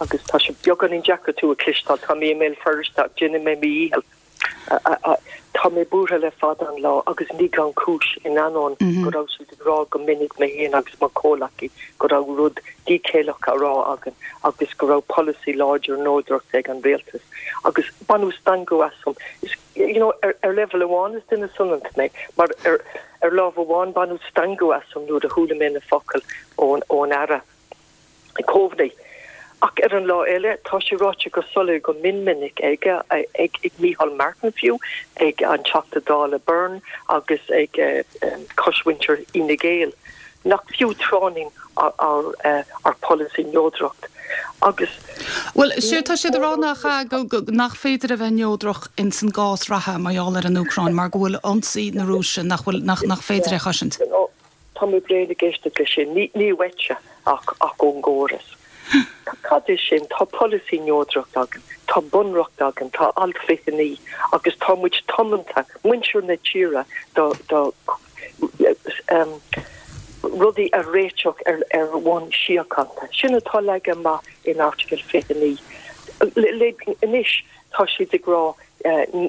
agus tá sé beagáinín deacair tú a chloisteáil, tá mé i mBéal Feirste ach déanfaidh mé mo dhícheall. Tá mé buartha le fada an lá agus ní gan chúis, in ainneoin go raibh siad ag rá go minic, mé féin agus mo chomhleacaí, go raibh rud díchéilleach á rá againn agus go raibh polasaí láidir neodrachta ag an rialtas. Agus baineadh stangadh asam. Is, you know, ar leibhéal amháin is duine soineanta mé, mar ar ar lámh amháin baineadh stangadh asam nuair a chuala mé na focail ón ón Aire Coveney. Ach ar an lá eile, tá sé ráite go soiléir go mion minic aige, ag Micheál Martin fiú, ag an Teachta Dála Byrne agus ag cosmhuintir Fhine Gael, nach fiú tráithnín ár ár polasaí neodracht. Agus. Bhuel, séard tá siad a rá nach ea, go, nach féidir a bheith neodrach ins an gcás reatha mar gheall ar an Úcráin mar go bhfuil ionsaí na Rúise, nach bhfuil, nach, nach féidir é a chosaint. Tá mé bréan ag éisteacht leis sin. Ní, ní uaitse ach, ach ón gcóras. Cad é sin? Tá polasaí neodracht againn, tá bunreacht againn, tá alt 29 agus tá muid tiomanta, muintir na tíre, do, do, rudaí a réiteach ar ar bhonn síochánta. Sin atá leagtha amach in Airteagal 29. Anois tá siad ag rá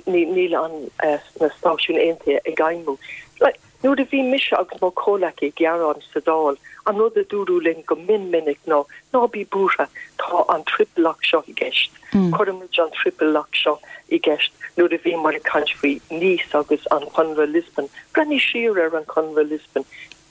níl an na Stáisiún Aontaithe ag fheidhmiú. Nuair a bhí mise agus mo chomhleacaí ag gearán sa Dáil, an rud a dúradh linn go mion minic ná, ná bí buartha, tá an triple lock seo i gceist. Cuirfimid an triple lock seo i gceist nuair a bhíomar ag caint faoi Nice agus an Conradh Lisbon. Breathnaigh siar ar an Conradh Lisbon.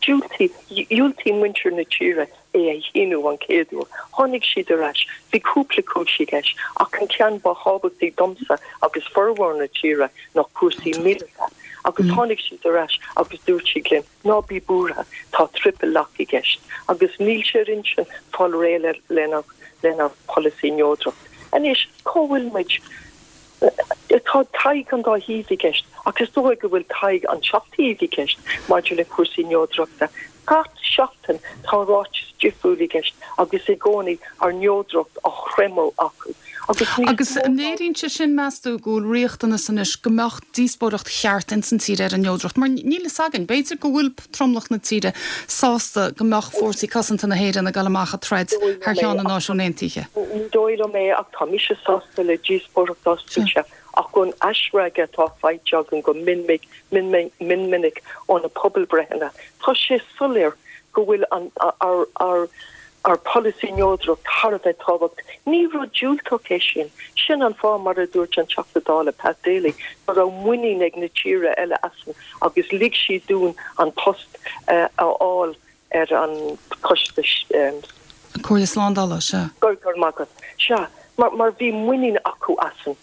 Diúltaigh, dhiúltaigh muintir na tíre é a shíniú an chéad uair. Tháinig siad ar ais. Bhí cúpla cúis i gceist, ach an ceann ba thábhachtaí domsa agus formhór na tíre ná cúrsaí míleata. Agus tháinig siad ar ais agus dúirt siad linn, ná bí buartha, tá triple lock i gceist. Agus níl sé ar intinn fáil réidh lenár polasaí neodracht. Anois, cá bhfuil muid? Tá tadhg an dá thaobh i gceist, ach is dóigh go bhfuil tadhg an seacht taobh i gceist maidir le cúrsaí neodrachta. Gach seachtain tá ráiteas difriúil i gceist agus i gcónaí ár neodracht á chreimeadh acu. Agus níos Agus mó an ná. léiríonn sé sin, meas tú, go bhfuil riachtanas anois go mbeadh díospóireacht cheart ins an tír ar an neodracht? Mar níl fhios againn, b'fhéidir go bhfuil tromlach na tíre sásta go mbeadh fórsaí cosanta na hÉireann ag dul amach ag troid thar ceann na Náisiún Aontaithe. Ní dóigh liom é ach tá mise sásta le díospóireacht oscailte ach ón aisfhreagra atá faighte againn go mion minic ó na pobalbhreitheanna tá sé soiléir go bhfuil an ár ár polasaí neodracht thar a bheith tábhachtach. Ní rud diúltach é sin. Sin an fáth, mar a dúirt an Teachta Dála Pat Daly, go raibh muinín ag na tíortha eile asainn agus lig siad dúinn an post a fháil ar an choiste. Comhairle Slándála, sea. Go raibh maith agat. Sea, mar bhí muinín acu asainn.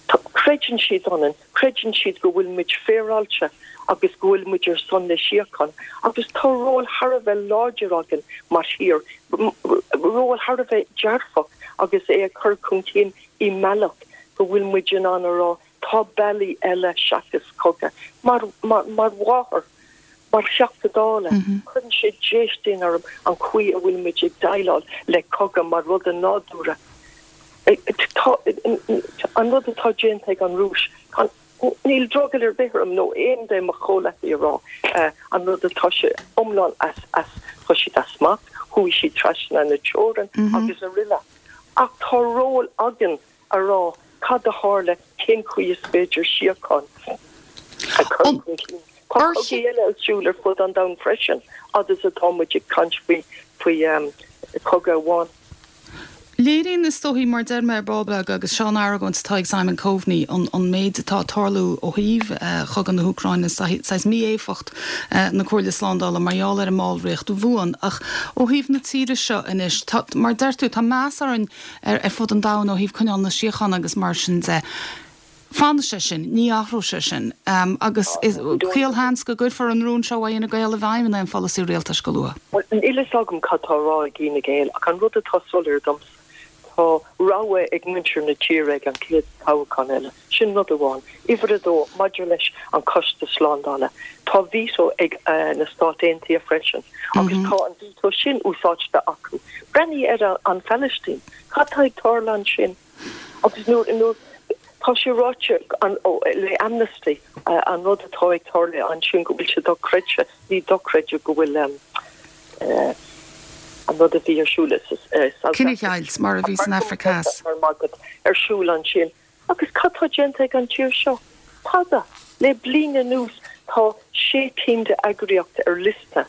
Creideann siad ionainn, creideann siad go bhfuil muid féaráilte agus go bhfuil muid ar son na síochána agus tá ról thar a bheith láidir againn mar thír, ról thar a bheith dearfach agus é a chur chun cinn i mbealach go bhfuil muid in ann a rá tá bealaí eile seachas cogadh. Mar, mar, mar mháthair, mar Theachta Dála, cuireann sé déistin orm an chaoi a bhfuil muid ag déileáil le cogadh mar rud nádúrtha. Tá an rud atá déanta ag an Rúis, níl drogall ar bith orm nó aon de mo chomhleacaí a rá an rud atá sé iomlán as, as, tá siad as smacht, chuaigh siad trasna na teorann agus araile. Ach tá ról againn a rá cad a tharla, cén chaoi is féidir síocháin a chur chun cinn. Tá cogaí eile ar siúl ar fud an domhain freisin, fhad is atá muid ag caint faoi faoi chogadh amháin. Léiríonn, is dóichí, mar deir mé ar ball beag, agus seo an argóint atá ag Simon Coveney, an an méid atá ag tarlú ó thaobh chogadh na hÚcráine, saghas mí-éifeacht na Comhairle Slándála mar gheall ar an mballraíocht bhuan. Ach ó thaobh na tíre seo anois, tá, mar deir tú, tá meas orainn ar fud an domhain ó thaobh coinneáil na síochána agus mar sin de. Fanfaidh sé sin, ní athróidh sé sin. Agus is caolsheans go gcuirfear an rún seo ó Fhine Gael i bhfeidhm in aon pholasaí rialtais go luath. Bhuel, níl fhios agam cad tá á rá ag Fhine Gael ach an rud atá soiléir domsa, tá rogha ag muintir na tíre ag an chéad toghchán eile. Sin rud amháin. Uimhir a dó, maidir leis an Choiste Slándála, tá veto ag na Stáit Aontaithe freisin agus tá an veto sin úsáidte acu. Breathnaigh ar an Phalaistín. Cad tá ag tarlú ansin? Agus nuair, nuair, tá sé ráite an, ó, le Amnesty, an rud atá ag tarlú ansin go bhfuil sé dochreidte, ní dochreidte go bhfuil eh, an rud a bhí ar siúl i South Africa. Cinedheighilt, mar a bhí san Afraic Theas. Ar siúl ansin. Agus cad tá déanta ag an tír seo? Tada. Le bliain anuas tá sé cinn de eagraíocht ar liosta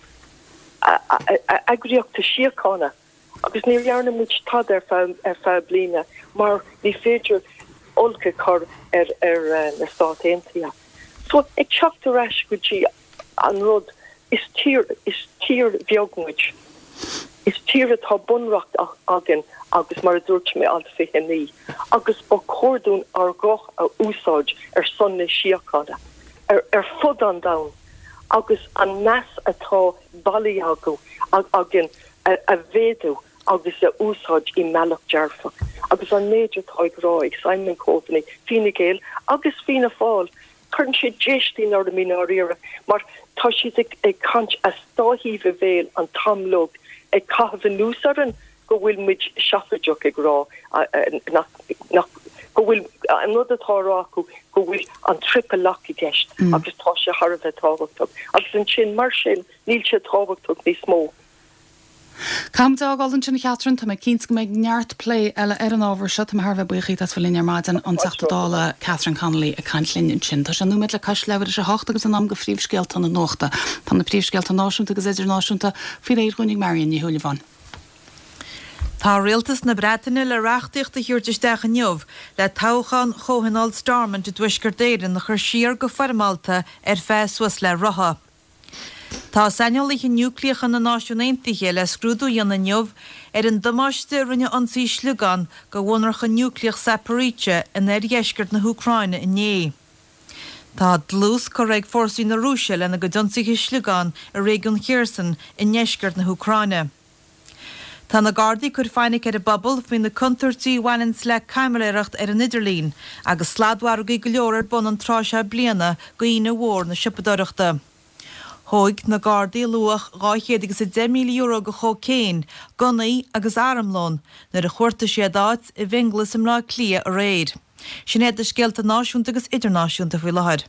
eagraíochta síochána. Agus ní dhearna muid tada ar feadh ar feadh bliana mar ní féidir olc a chur ar ar na Stáit Aontaithe. So ag teacht ar ais go dtí an rud, is tír is tír bheag muid. Is tír atá bunreacht againn agus mar a dúirt mé alt 29 agus ba chóir dúinn ár ghuth a úsáid ar son na síochána ar ar fud an domhain agus an meas atá bailithe againn a mhéadú agus a úsáid i mbealach dearfach agus an méid atá ag rá ag Simon Coveney, Fine Gael agus Fianna Fáil, cuireann sé déistín orm i ndáiríre mar tá siad ag caint as dá thaobh a bhéil an t-am uilig, ag caitheamh anuas orainn go bhfuil muid seafóideach ag rá nach, nach, go bhfuil an rud atá á rá acu go bhfuil an triple lock i gceist agus tá sé thar a bheith tábhachtach agus ansin mar sin níl sé tábhachtach níos mó. Caithfimid é a fhágáil ansin, a Chatherine. Tá mé cinnte go mbeidh neart plé eile ar an ábhar seo. Tá mé thar a bheith buíoch díot as bheith linn ar maidin, an Teachta Dála Catherine Connolly ag caint linn ansin. Tá sé nóiméad le cois leathuair tar éis a hocht agus in am do phríomhscéalta na nuachta. Tá na príomhscéalta náisiúnta agus idirnáisiúnta faoi réir dhúinn ag Marion Ní Shúilleabháin. Tá Rialtas na Breataine le reachtaíocht a thabhairt isteach inniu le toghchán Chomhthionól Stormont i dTuaisceart Éireann a chur siar go foirmeálta ar feadh suas le ráithe. Tá saineolaithe núicléacha na Náisiún Aontaithe le scrúdú a dhéanamh inniu ar an damáiste a rinne ionsaí sliogán do mhonarcha núicléach Zaporizhzhia in oirdheisceart na hÚcráine inné. Tá dlús curtha ag fórsaí na Rúise lena gcuid ionsaithe sliogán i réigiún Kherson i ndeisceart na hÚcráine. Tá na Gardaí ag cur fainic ar an bpobal faoi na contúirtí a bhaineanns le caimiléireacht ar an idirlíon agus sladmhargaí go leor ar bun an tráth seo bliana d'Aoine Mhór na Siopadóireachta. Thóg na Gardaí luach €210,000 de chócaon, gunnaí agus armlón nuair a chuartaigh siad áit i bhFionnghlas i mBleá Cliath aréir. Sin iad na scéalta náisiúnta agus idirnáisiúnta faoi láthair.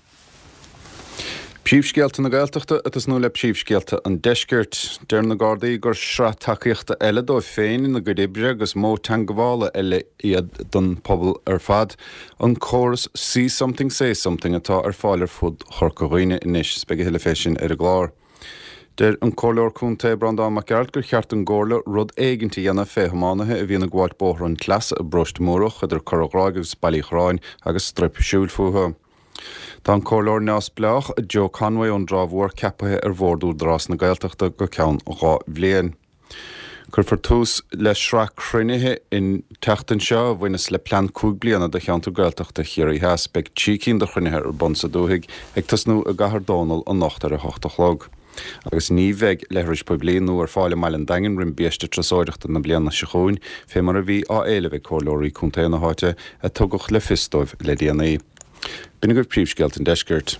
Príomhscéalta na Gaeltachta ag tosnú le príomhscéalta an Deiscirt. Deir na Gardaí gur sraith tacaíochta eile dóibh féin ina gcuid oibre agus modh teangabhála eile iad don phobal ar fad an córas 'See Something Say Something' atá ar fáil ar fud Chorca Dhuibhne anois. Is beidh a thuilleadh fé sin ar an gclár. Deir an Comhairleoir Contae Breandán Mac Gearailt gur cheart don gComhairle rud éigint a dhéanamh fé thiománaithe a bhíonn ag gabháilt bóthar an tsleasa i bParóiste Múrach idir Cora Ghráig agus Baile Uí Chorráin agus straidhp siúil fúthu. Tá an Comhairleoir neamhspleách Joe Conway ón dTrá Mhór ceapaithe ar Bhord Údarás na Gaeltachta go ceann 2 bhliain. Cuirfear tús le sraith cruinnithe an tseachtain seo a bhaineas le plean 5 bliana do cheantar Gaeltachta Chiarraí Theas. Beidh 3 cinn de chruinnithe ar bun sa dúthaigh, ag tosnú i gCathair Dónall anocht ar a hocht a chlog. Agus ní bheidh leithris poiblí nua ar fáil i mbaile an Daingin roim biaiste turasóireachta na bliana seo chugainn, fé mar a bhí á éileamh ag comhairleoirí contae na háite a tugadh le fios dóibh le déanaí. B'in agaibh príomhscéalta an deiscirt.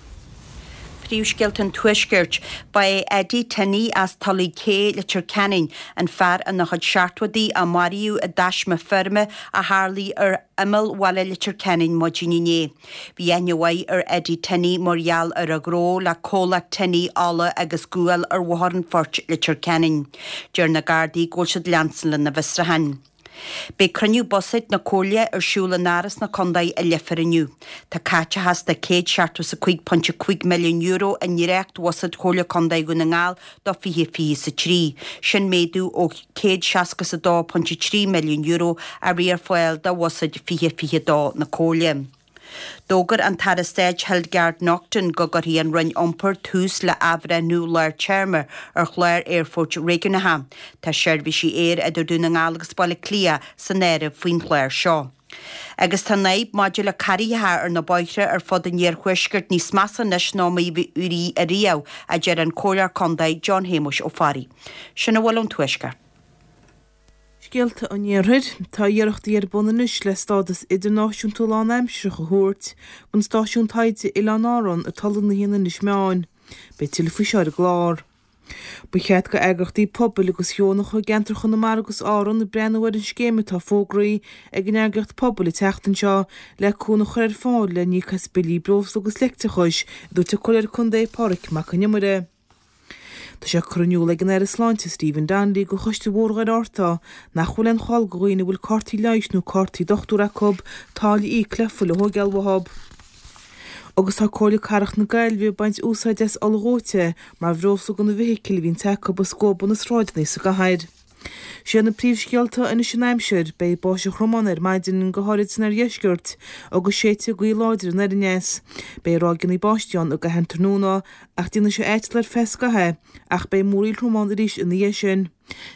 Príomhscéalta an Tuaiscirt. Ba é Eddie Tinney as Tulaigh Cé, Leitir Ceanainn, an fear ina chuid seachtóidí a maraíodh i dtaisme feirme a tharlaigh ar imeall bhaile Leitir Ceanainn maidin inné. Bhí aithne mhaith ar Eddie Tinney mar gheall ar a ghnó le comhlacht Tinney Ola agus Gual ar Bhóthar an Phoirt, Leitir Ceanainn. Deir na Gardaí go bhfuil siad leanstan lena bhfiosrúchán. Beidh cruinniú buiséid na Comhairle ar siúl in Áras na Condae i Leifear inniu. Tá caiteachas de €175.5 milliún i ndréacht-bhuiséad Chomhairle Condae Dhún na nGall do 2023. Sin méadú ó €162.3 milliún a bhí ar fáil do bhuiséad 2022 na Comhairle. D'fhógair an tAire Stáit Hildegarde Naughton go gcuirfidh an Roinn Iompair tús le athbhreithniú lár téarma ar chlár aerfoirt réigiúnacha. Tá seirbhísí aeir idir Dún na nGall agus Baile Átha Cliath san áireamh faoin chlár seo. Agus tá an fhadhb maidir le carraigheacha ar na bóithre ar fud an iarthuaiscirt níos measa anois ná mar a bhí ariamh, a deir an Comhairleoir Contae John Shéamuis Ó Fearraigh. Sin a bhfuil ón Tuaisceart. Scéalta an Iarthair. Tá iarrachtaí ar bun anois le stádas idirnáisiúnta lánaimsearach a thabhairt don stáisiún taighde Oileáin Árann atá lonnaithe in Inis Meáin. Beidh tuilleadh faoi seo ar an gclár. Ba cheart go eagraíochtaí pobail agus dheonacha i gceantar Chonamara agus Árann breathnú ar an scéim atá fógraithe ag an eagraíocht Pobal an tseachtain seo le cúnamh a chur ar fáil le n-íoc as billí breosla agus leictreachais, a dúirt an Comhairleoir Contae Pádraig Mac Con Iomaire. Tá sé curtha in iúl ag an Aire Sláinte Stephen Donnelly go Choiste Bhóthar Dhoire Fhatharta nach bhfuil aon chall go dhaoine a bhfuil cártaí leighis nó cártaí dochtúra acu táille a íoc le fuil a thóigeáil uathu. Agus tá Comhairle Cathrach na Gaillimhe ag baint úsáide as ola dhóite mar bhreosla do na bhfeithicil a bhíonns acu ag scuabadh na sráideanna sa gcathair. Sé na príomhscéalta anois an aimsir, beidh báisteach throm ann ar maidin, go háirid san oirdheisceart, agus séidfidh gaoth láidir anoir aneas. Beidh ráigeanna báistí ann i gcaitheamh an tráthnóna ach déanfaidh sé aiteal ar feadh scaithimh, ach beidh múraíl throm ann arís ina dhiaidh sin.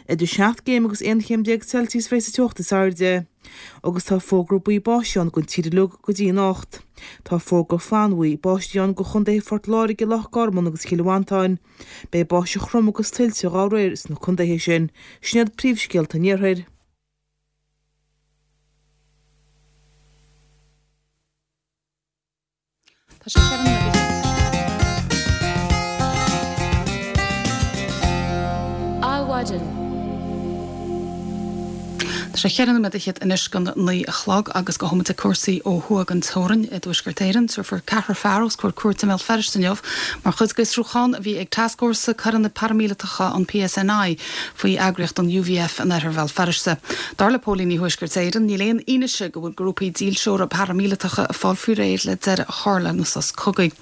Idir 7 gcéim agus 11 chéim Celsius a bheidh sa teocht is airde. Agus tá fógra buí báistí ann don tír uilig go dtí anocht. Tá fógra flannbhuí báistí ann go chontaetha Phort Láirge, Loch Garman agus Chill Mhantáin. Beidh báisteach throm agus tuilte dá réir sna contaetha sin. Sin iad príomhscéalta an iarthair. Tá sé ar an Adhmhaidin. Tá sé cheithre nóiméad fhichead anois don 9 a chlog agus gabhfaidh muid ag cúrsaí ó thuaidh den teorainn i dTuaisceart Éireann. Tabharfar ceathrar fear os comhair cúirte i mBéal Feirste inniu mar chuid d'fhiosrúchán a bhí ag Tascfhórsa Coireanna Paraimíleatacha an PSNI faoi eagraíocht an UVF in oirthear Bhéal Feirste. Dar le póilíní Thuaisceart Éireann, níl aon fhianaise go bhfuil grúpaí dílseora paraimíleatacha ag fáil faoi réir le deireadh a chur lena sos cogaidh.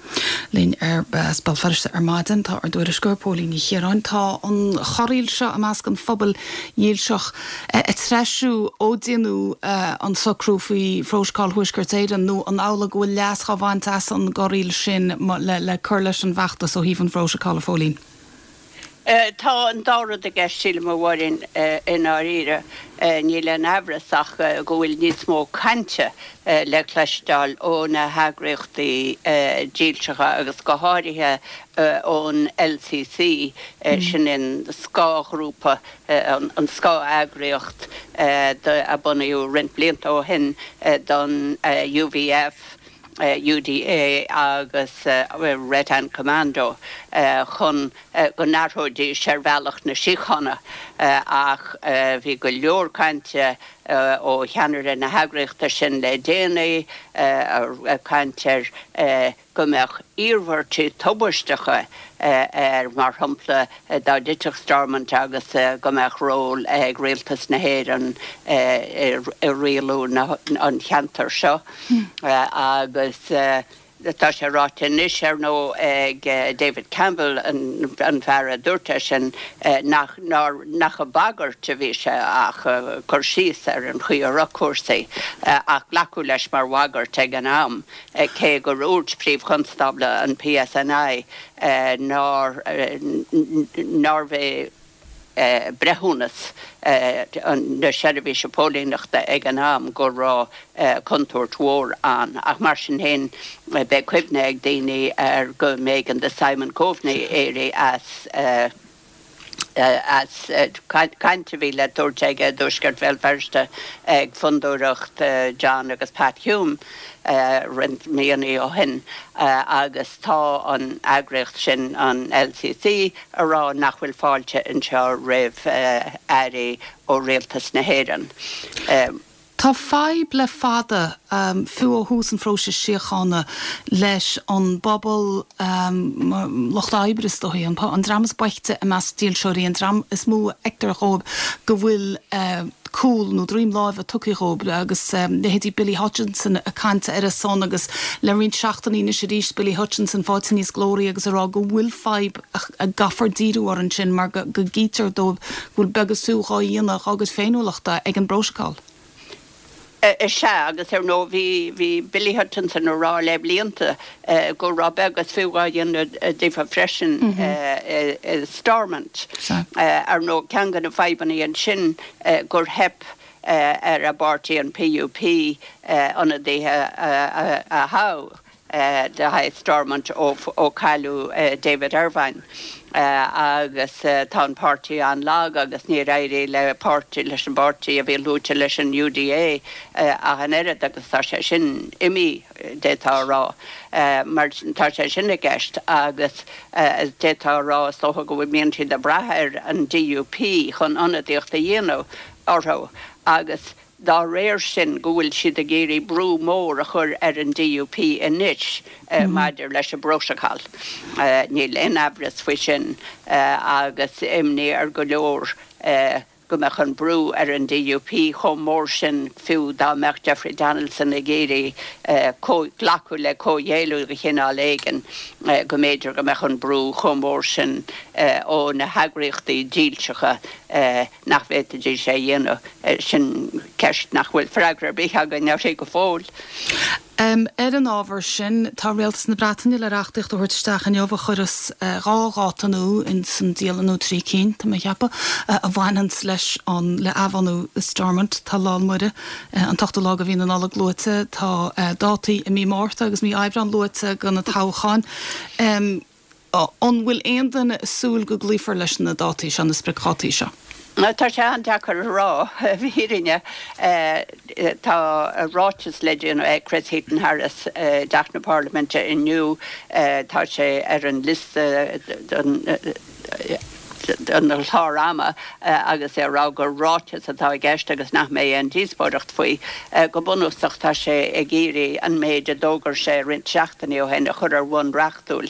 Linn as Béal Feirste ar maidin tá ár dtuairisceoir Póilín Ní Chiaráin. Tá an chorraíl seo i measc an phobail dhílseach ag treisiú ó déanadh an socrú faoi Phrótocol Thuaisceart Éireann nó an amhlaidh go bhfuil leas dhá bhaint as an gcorraíl sin le cur leis an bhfeachtas ó thaobh an Phrótacail, a Phóilín? Tá an dá rud i gceist, sílim, a Mháirín, i ndáiríre. Níl aon amhras ach go bhfuil níos mó cainte le cloisteáil ó na heagraíochtaí dílseacha agus go háirithe ón LCC, sin an scáthghrúpa, an scáth-eagraíocht a bunaíodh roinnt blianta ó shin don UVF. UDA agus Red Hand Commando chun go n-athróidís ar bhealach na síochána ach bhí go leor cainte ó cheannaire na heagraíochta sin le déanaí, ag caint ar go mbeadh iarmhairtí tubaisteacha air, mar shampla dá dtitfeadh Stormont agus go mbeadh ról ag Rialtas na hÉireann i rialú an cheantair seo. Agus tá sé ráite anois, ar ndóigh, ag David Campbell, an fear a dúirt é sin, nach nach ag bagairt a bhí sé ach ag cur síos ar an chaoi a raibh cúrsaí, ach glacadh leis mar bhagairt ag an am, cé gur dhúirt Príomh-Chonstábla an PSNI nár nárbh é breithiúnas na seirbhíse póilíneachta ag an am go raibh contúirt mhór ann. Ach mar sin féin, beidh cuimhne ag daoine ar go mb'éigean do Simon Coveney éirí as as caint a bhí le tabhairt aige i dtuaisceart Bhéal Feirste ag fondúireacht John agus Pat Hume roinnt míonna ó shin agus tá an eagraíocht sin, an LCC, a rá nach bhfuil fáilte anseo roimh airí ó rialtas na hÉireann. Tá fadhb le fada, fiú ó thús an phróisis síochána, leis an bpobal lucht oibre is dóichí, an dream is boichte i measc dílseoirí, an dream is mó a fheictear dhóibh go bhfuil cúl nó droim láimhe tugtha dhóibh agus leithéidí Billy Hutchinson ag caint ar a son agus le roinnt seachtainí anois arís Billy Hutchinson faighte níos glóraí agus ag rá go bhfuil fadhb a gcaithfear díriú air ansin mar go gcítear dóibh go bhfuil beag is fiú dhá dhéanamh dhá gcuid féiniúlachta ag an bprótacal. Is ea, agus ar ndóigh bhí, bhí Billy Hutchinson a rá le blianta go raibh beag is fiú dhá dhéanamh daofa freisin i Stormont. Ar ndóigh ceann de na fadhbanna ansin gur theip. ar an bpáirtí, an PUP, ionadaithe a thoghadh le haghaidh Stormont ó cailleadh David Ervine agus tá an páirtí an-lag agus níor éirigh le páirtí, leis an bpáirtí a bhí luaite leis an UDA ach an oiread agus tá sé sin imithe, d'fhéadfá a rá. Mar tá sé sin i gceist agus d'fhéadfá a rá is dócha go mbíonn siad ag brath ar an DUP chun ionadaíocht a dhéanamh orthu agus dá réir sin go bhfuil siad ag iarraidh brú mór a chur ar an DUP anois maidir leis an bprótacal. Níl aon amhras faoi sin agus imní ar go leor go mbeadh an brú ar an DUP chomh mór sin fiú dá mbeadh Jeffrey Donaldson ag iarraidh glacadh le comhghéilleadh de chineál éigin go mb'fhéidir go mbeadh an brú chomh mór sin ó na heagraíochtaí dílseacha nach bhféadfaidís é a dhéanamh. Sin ceist nach bhfuil freagra ar bith againn uirthi go fóill. Ar an ábhar sin, tá Rialtas na Breataine le reachtaíocht a thabhairt isteach inniu a chuireas 2 dháta nua ins an dialann, nó 3 cinn, tá mé a cheapadh, a bhaineanns leis an, le athbhunú Stormont. Tá Lá 'le Muire, an t-ochtú lá de mhí na Nollag luaite, tá dátaí i mí Márta agus mí Aibreáin luaite do na toghcháin. An bhfuil aon duine ag súil go gcloífear leis na dátaí seo, na spriocdhátaí seo? Tá sé an-deacair a rá, i bhfírinne. Tá ráiteas le déanamh ag Chris Heaton-Harris i dTeach na Parlaiminte inniu. Tá sé ar an liosta don chlár ama agus é ag rá gur ráiteas atá i gceist agus nach mbeidh aon díospóireacht faoi. Go bunúsach tá sé ag iarraidh an méid a d'fhógair sé roinnt seachtainí ó shin a chur ar bhonn reachtúil,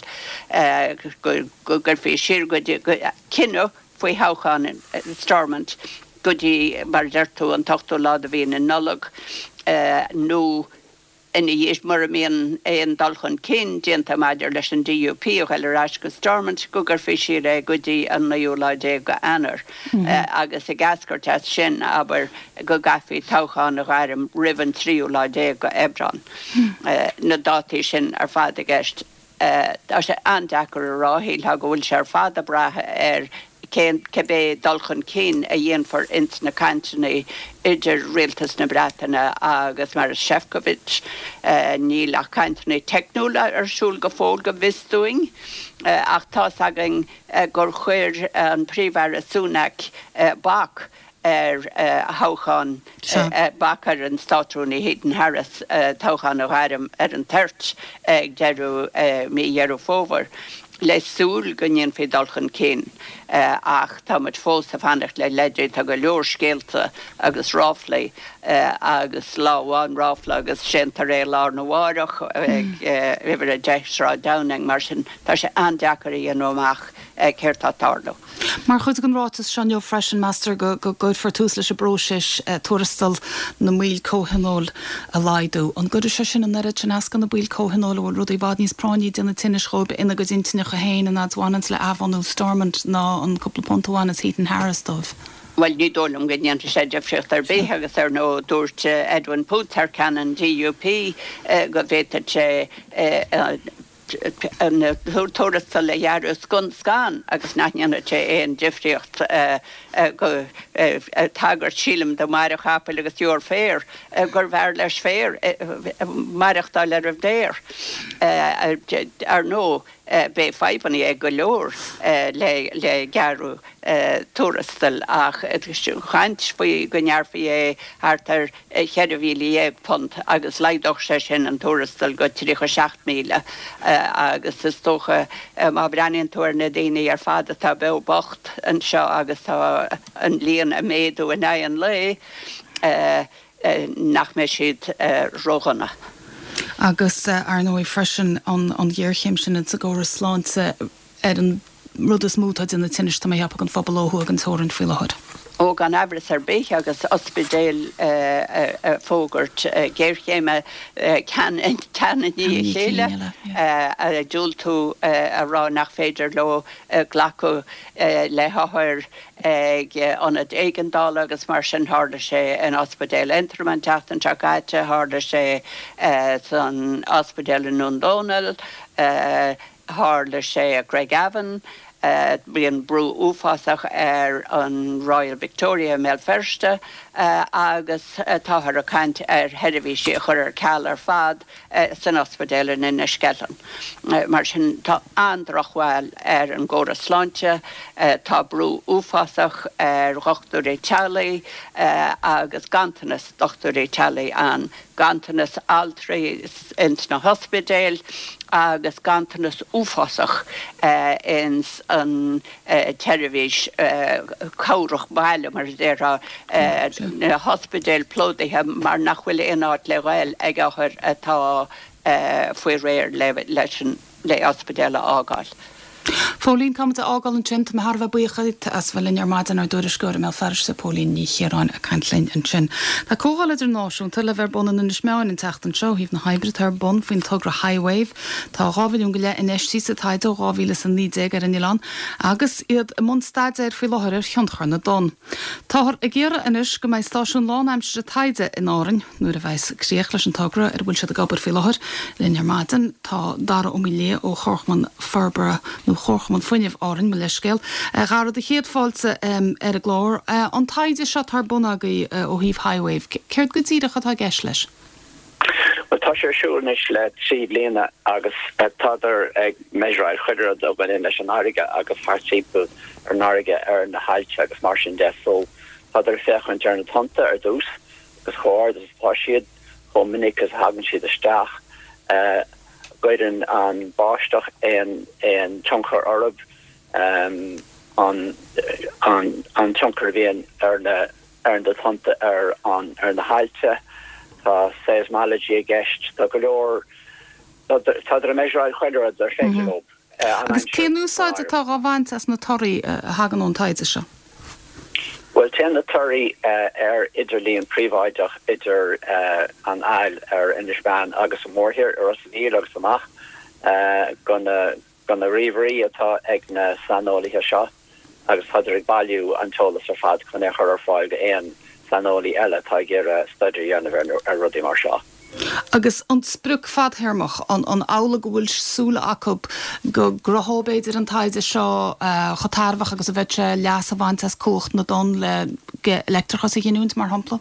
go gcuirfí siar go dtí cinneadh faoi thoghchán Stormont go dtí, mar a deir tú, an t-ochtú lá de mhí na Nollag nó ina dhiaidh, mura mbíonn aon dul chun cinn déanta maidir leis an DUP a ghoil ar ais go Stormont, go gcuirfí siar é go dtí an naoú lá déag de Eanáir agus ag eascairt as sin, abair, go gcaithfí toghchán a ghairm roimh an tríú lá déag de Aibreán. Na dátaí sin ar fad i gceist. Tá sé an-deacair a rá, shílfeá go bhfuil sé ar fad ag brath ar cén, cibé dul chun cinn a dhéanfar ins na cainteanna idir Rialtas na Breataine agus Maros Sefcovic. Níl ach cainteanna teicniúla ar siúl go fóill go bhfios dúinn, ach tá's againn gur chuir an Príomh-Aire Sunak bac ar thoghchán, bac ar an Státrúnaí Heaton Harris toghchán a ghairm ar an toirt ag deireadh mí Dheireadh Fómhair, le súil go ndéanfaí dul chun cinn ach tá muid fós ag fanacht le leidí. Tá go leor scéalta agus ráflaí agus lá amháin ráfla agus séantar é lá arna mháireach ag uimhir 10 Sráid Downing, mar sin tá sé an-deacair a dhéanamh amach céard tá ag tarlú. Mar chuid den ráiteas seo inniu freisin, meastar go gcuirfear tús leis an bpróiseas tuarastal na mbaill comhthionóil a laghdú. An gcuirfidh sé sin an oiread sin as do na baill comhthionóil a bhfuil rudaí i bhfad níos práinní ag déanamh tinnis dhóibh ina gcuid intinneacha féin an fhad is a bhaineanns le athbhunú Stormont ná an cúpla punt a bhaineas Heaton Harris dóibh? Bhuel, ní dóigh liom go ndéanfaidh sé difríocht ar bith agus ar ndóigh dúirt Edwin Poots thar ceann an DUP go bhféadfadh sé an tuarastal a ghearradh scun scan agus nach ndéanfadh sé aon difríocht go tagairt sílim do Mhaire chapaill agus deoir féir gurbh fhearr leis féar maireachtáil ar an bhféar. Ar ndóigh beidh fadhbanna ag go leor le gearradh tuarastail ach caint faoi go ngearrfaí é thart ar £14,000 agus laghdódh sé sin an tuarastal go 37,000 agus is dócha má bhreathnaíonn tú ar na daoine ar fad atá beo bocht anseo agus tá an líon ag méadú in aghaidh an lae nach mbeidh siad ródhona. Agus ar ndóigh freisin an ghéarchéim sin insa gcóras sláinte ar an rud is mó atá ag déanamh tinnis, tá mé a cheapadh, don phobal ó thuaidh den teorainn faoi láthair. Ó, gan amhras ar bith, agus ospidéil ag fógairt géarchéime ceann i ndiaidh a chéile, ag diúltú a rá nach féidir leo glacadh le hothair ag ionaid éigeandála agus mar sin. Tharla sé in Ospidéal Aontroim an tseachtain seo caite, tharla sé san ospidéal i nDún Dónaill, Tharla sé i gCraigavon. Bíonn brú uafásach ar an Royal Victoria i mBéal Feirste agus táthar ag caint ar sheirbhísí a chur ar ceal ar fad san ospidéal in Inis Ceithleann. Mar sin, tá an-drochbhail ar an gcóras sláinte, tá brú uafásach ar dhochtúirí teaghlaigh agus ganntanas dochtúirí teaghlaigh ann, ganntanas altraí ins na hospidéil agus ganntanas uafásach ins an tseirbhís cabhrach baile, mar a déarfá, na hospidéil plódaithe mar nach bhfuil aon áit le ghoil ag othair atá faoi réir leis an le ospidéal a fhágáil. Phóilín, Caithfidh muid a fhágáil ansin. Tá mé thar a bheith buíoch díot as bheith linn ar maidin, ár dtuairisceoir i mBéal Feirste, Póilín Ní Chiaráin, ag caint linn ansin. Tá comhdháil idirnáisiúnta le bheith ar bun in Inis Meáin an tseachtain seo ó thaobh na hoibre atá ar bun faoin togra HiWave. Tá 2 mhilliún go leith infheistithe sa taighde ó 2019 ar an oileán agus iad i mbun staidéir faoi láthair ar thionchar na dtonn. Táthar ag iarraidh anois go mbeidh stáisiún lánaimseartha taighde in Árainn nuair a bheas críoch leis an togra ar a bhfuil siad ag obair faoi láthair. Linn ar maidin tá Dara Ó Maoildhia ó Chomharchumann Forbartha nó Chomharchumann Fuinnimh Árainn, mo leithscéal. A Dhara, do chéad fáilte ar an gclár. An taighde seo atá ar bun agaibh ó thaobh HiWave, céard go díreach atá i gceist leis? Bhuel, tá sé ar siúl anois le 3 bliana agus tádar ag measuráil chuile rud a bhaineann leis an fharraige agus thart timpeall ar an fharraige, ar na haillte agus mar sin de. So, tádar ag féachaint ar na tonnta ar dtús agus chomh ard is atá siad, chomh minic is a thagann siad isteach, an gcuireann an báisteach aon aon tionchar orthu, an an tionchar a bhíonn ar na ar na tonnta ar an ar na haillte, tá seismology i gceist, tá go leor, tádar ag measuráil chuile rud ar féidir leo an Agus aimsir cén úsáid atá dhá bhaint as na torthaí a thagann ón taighde seo? Bhuel, téann na torthaí ar idirlíon príobháideach idir an aill ar Inis Meáin agus an mhórthír, i Ros an Mhíl agus amach go na go na ríomhairí atá ag na saineolaithe seo agus tádar ag bailiú an t-eolas ar fad chun é a chur ar fáil go aon saineolaí eile atá ag iarraidh staidéar a dhéanamh ar rudaí mar seo. Agus an sprioc fadthéarmach, an amhlaidh go bhfuil súil acu go gcruthódh b'fhéidir an taighde seo chomh tairbheach agus a bheadh sé leas a bhaint as cumhacht na dtonn le leictreachas a ghiniúint, mar shampla?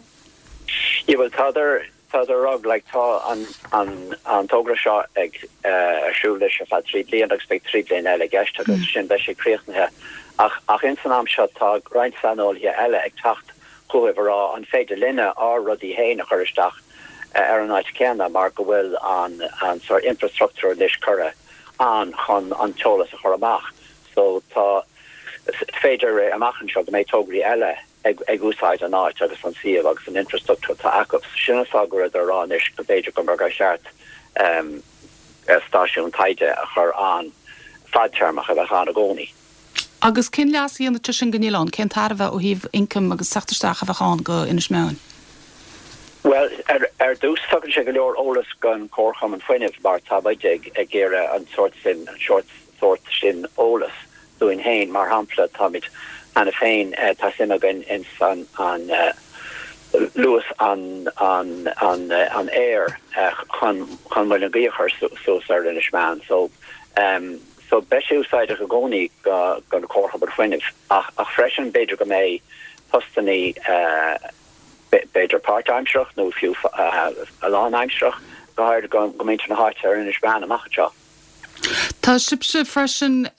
Yeah, bhuel tádar Tádar a rá, like, tá an, an, an togra seo ag, eh, ar siúl anois ar feadh 3 bliana agus beidh 3 bliana eile i gceist agus ansin beidh sé críochnaithe. Ach, ach ins an am seo tá roinnt saineolaithe eile ag teacht chugaibh a rá an féidir linne ár rudaí féin a chur isteach eh, ar an áit céanna mar go bhfuil an, an sort infrastructure anois curtha ann chun an t-eolas a chur amach. So tá, is féidir amach anseo go mbeidh tograí eile ag úsáid an áit agus an suíomh agus an infrastructúr atá acu. Sin an fáth go rabhadar ag rá anois go b'fhéidir go mba gur cheart stáisiún taighde a chur ann fadtéarmach a bheadh ann i gcónaí. Agus cén leas a dhéanfadh sé sin don oileán? Cén tairbhe ó thaobh ioncaim agus teacht isteach a bheadh ann go Inis Meáin? Bhuel, ar dtús tugann sé go leor eolas don Chomharchumann Fuinnimh mar tá muid ag iarraidh an sórt sin, an sórt sin eolas dúinn féin. Mar shampla, táimid cheana féin, tá suim againn ins an luas an an aeir chun chun muileann gaoithe a chur suas ar Inis Meáin. So so beidh sé úsáideach i gcónaí go don Chomharchumann Fuinnimh ach ach freisin b'fhéidir go mbeidh postannaí b'fhéidir páirtaimsearach nó fiú lánaimsearach, go háirid go muintir na háite ar Inis Meáin amach anseo. Tá sibhse freisin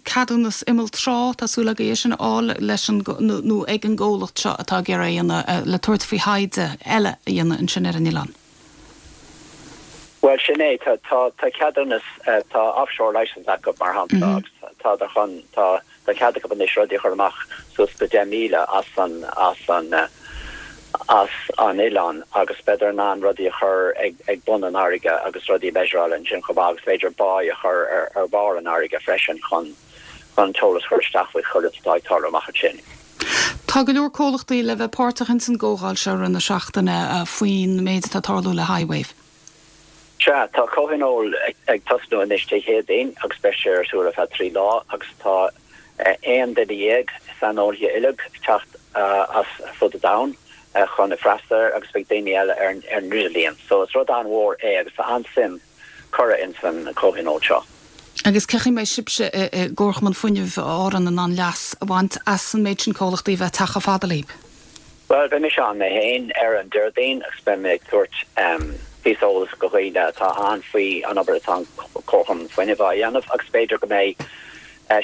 ceadúnas imeall trá, tá súil agaibh é sin a fháil leis an, nó ag an gcomhlacht seo atá ag iarraidh a dhéanamh, le tabhairt faoi thaighde eile a dhéanamh ansin ar an oileán. Bhuel, sin é, tá, tá ceadúnas, tá offshore licence acu mar shampla agus tádar chun, tá, Tá cead acu anois rudaí a chur amach suas go 10 míle as an as an as an oileán agus beidar in ann rudaí a chur ag ag bun an fharraige agus rudaí a mheasuráil ansin chomh maith agus b'fhéidir buoy a chur ar ar bharr an fharraige freisin chun chun an t-eolas a chur isteach faoi chuile rud atá ag tarlú amach ansin. Tá go leor comhlachtaí le bheith páirteach ins an gcomhdháil seo i rith na seachtaine faoin méid atá ag tarlú le HiWave. Sea, tá comhthionól ag tosnú anois Dé Céadaoin agus beidh sé ar siúl ar feadh 3 lá agus tá 11 duine saineolaithe uilig ag teacht as fud an domhain chun freastal air agus beidh daoine eile ar an idirlíon. So is rud an-mhór é agus tá an-suim curtha ins an comhthionól seo. Agus cén chaoi a mbeidh sibhse i gComharchumann Fuinnimh Árann in ann leas a bhaint as an méid sin comhlachtaí a bheith ag teacht chomh fada libh? Bhuel, beidh mise ann mé féin ar an Déardaoin agus beidh mé ag tabhairt píosa eolais go dhaoine atá ann faoi an obair atá an Comharchumann Fuinnimh á dhéanamh agus b'fhéidir go mbeidh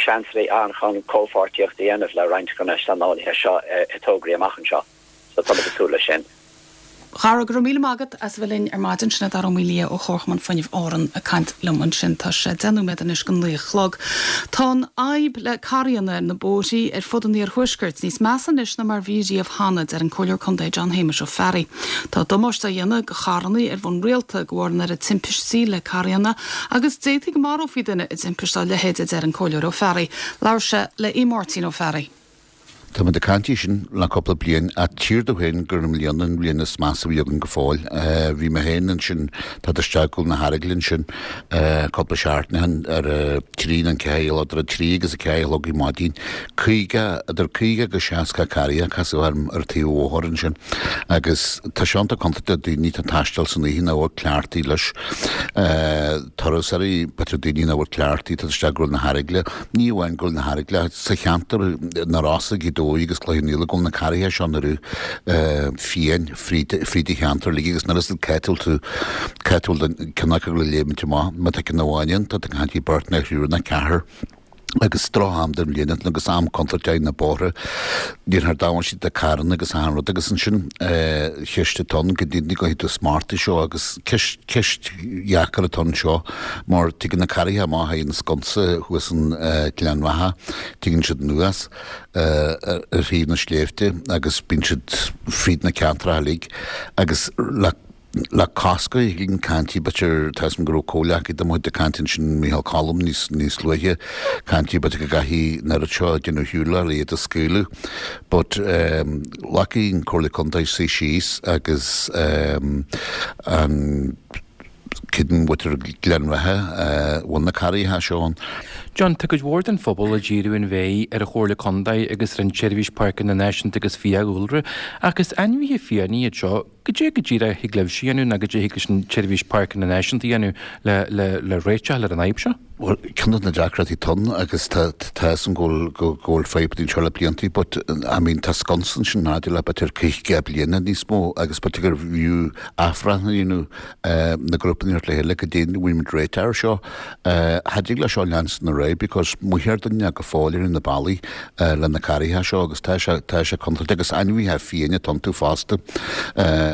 seansanna ann chun comhpháirtíocht a dhéanamh le roinnt de na saineolaithe seo i dtograí amach anseo. So táimid ag súil leis sin. A Dhara, go raibh míle maith agat as a bheith linn ar maidin. Sin é Dara Ó Maoildhia ó Chomharchumann Fuinnimh Árann ag caint liom ansin. Tá sé 10 nóiméad anois go 9 a chlog. Tá an fhadhb le carranna ar na bóithrí ar fud an iarthuaiscirt níos measa anois ná mar bhí riamh cheana, deir an Comhairleoir Contae John Shéamuis Ó Fearraigh. Tá damáiste á dhéanamh go charranna ar bhonn rialta de bharr an oiread timpistí le carranna agus d'fhéadfaí go marófaí duine i dtimpist dá leithéid, a deir an Comhairleoir Ó Fearraigh. Labhair sé le Aodh Máirtín Ó Fearraigh. Tá muid ag caint faoi sin le cúpla bliain ach tchítear domh féin gur i mbliana an bhliain is measa a bhí againn go fóill. Bhí mé féin ansin, tá isteach go na hEaragail ansin cúpla seachtain ó shin ar a trí nó an ceathair, idir a trí agus a ceathair a chlog ar maidin. 50, idir 50 agus 60 carr a casadh orm ar taobh an bhóthair ansin agus tá sé iontach contúirteach do daoine atá ag taisteal san oíche nach bhfuil cleachtaithe leis. Turasóirí, b'fhéidir daoine nach bhfuil cleachtaithe, tá isteach go na hEaragaile. Ní amháin go na hEaragaile, sa cheantar na Rosa, Gaoth Dobhair agus Cloich Cheann Fhaola, go bhfuil na carraithe seo ina rith fiáin fríd an cheantar uilig agus nuair is cá bhfuil tú, cá bhfuil ceann acu le léimint amach, má tá ceann amháin ann, tá tú ag caint faoi beirt nó thriúr nó ceathrar agus droch am den bhliain agus am contúirteach ar na bóithre, déanfar damáiste do carranna agus achan rud agus ansin ceist atá ann go dtí go tú smartaí seo agus ceist ceist dheacair atá anseo mar tigeann na carraithe amach thar an sconsa thuas in Gleann Bheatha, tigeann siad anuas ar thaobh na sléibhte agus bíonn siad fríd na ceantracha uilig agus le le cosc a shílim caint b'fhéidir tá 'fhios a'm go raibh comhghleacaí de mo chuid ag caint ansin Micheál Colm níos níos luaithe caint b'fhéidir go gcaithfidh an oiread seo déanamh shiúil le iad a scaoileadh but glacfaidh an Comhairle Contae suí síos agus an Creidim mhuintir Ghleann Bheatha a bhfuil na carraithe seo ann. John, tá cuid mhór den phobal ag díriú an mhéir ar an Chomhairle Contae agus ar an tSeirbhís Páirceanna Náisiúnta agus Fiadhúlra, ach is ainmhithe fiáine iad seo. Goidé go díreach a thig libhse a dhéanamh nó goidé a thig leis an tSeirbhís Páirceanna Náisiúnta a dhéanamh le le le réiteach ar an fhadhb seo? Bhuel, ceann de na deacrachtaí atá ann agus tá tá 'fhios a'm go bhfuil go bhfuil fadhb anseo le blianta but I mean tá sconsa ansin maidir le b'fhéidir 50 bliana níos mó agus b'fhéidir gurbh fhiú athbhreithniú a dhéanamh na grúpanna a thabhairt le chéile goidé an bhfuil muid réiteach air seo. Cha dtig le seo leanstan ar aghaidh because mothaítear duine go fóill ar na bealaí le na carraithe seo agus tá sé tá sé contúirteach agus ainmhithe fiáine atá iontu fosta.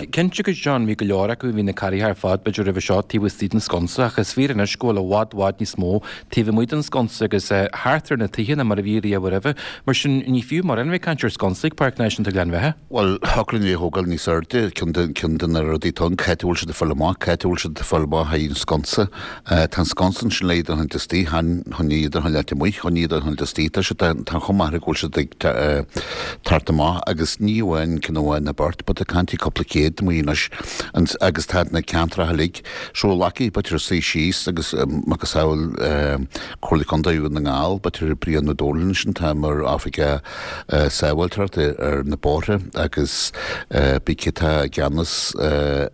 Cinnte agus John, bhí go leor acu, bhí na carraithe ar fad b'fhéidir roimhe seo taobh istigh den sconsa ach is fíor anois go bhfuil i bhfad bhfad níos mó taobh amuigh den sconsa agus thart ar na tithe ná mar a bhí riamh roimhe. Mar sin ní fiú mórán a bheith ag caint ar sconsa ag Páirc Náisiúnta Ghleann Bheatha. Bhuel, thiocfadh linn é a thógáil níos airde, ceann de, ceann de na rudaí atá ann, cá háit a bhfuil siad ag fáil amach, cá háit a bhfuil siad ag fáil amach thar an sconsa. Tá an sconsa ansin le iad a choinneáilt istigh, chan chun iad a choinneáilt amuigh, chun iad a choinneáilt istigh. Tá siad, tá chomh maith go bhfuil siad ag teacht amach agus ní amháin ceann amháin nó beirt, but ag caint faoi cúpla céad amuigh anois agus tá na ceantracha uilig. So glacfaidh b'fhéidir suí síos agus macasamhail Comhairle Contae Dhún na nGall, b'fhéidir Brian Ó Dónaill ansin, tá mar oifigeach sábháilteachta ar na bóithre agus bí cé atá i gceannas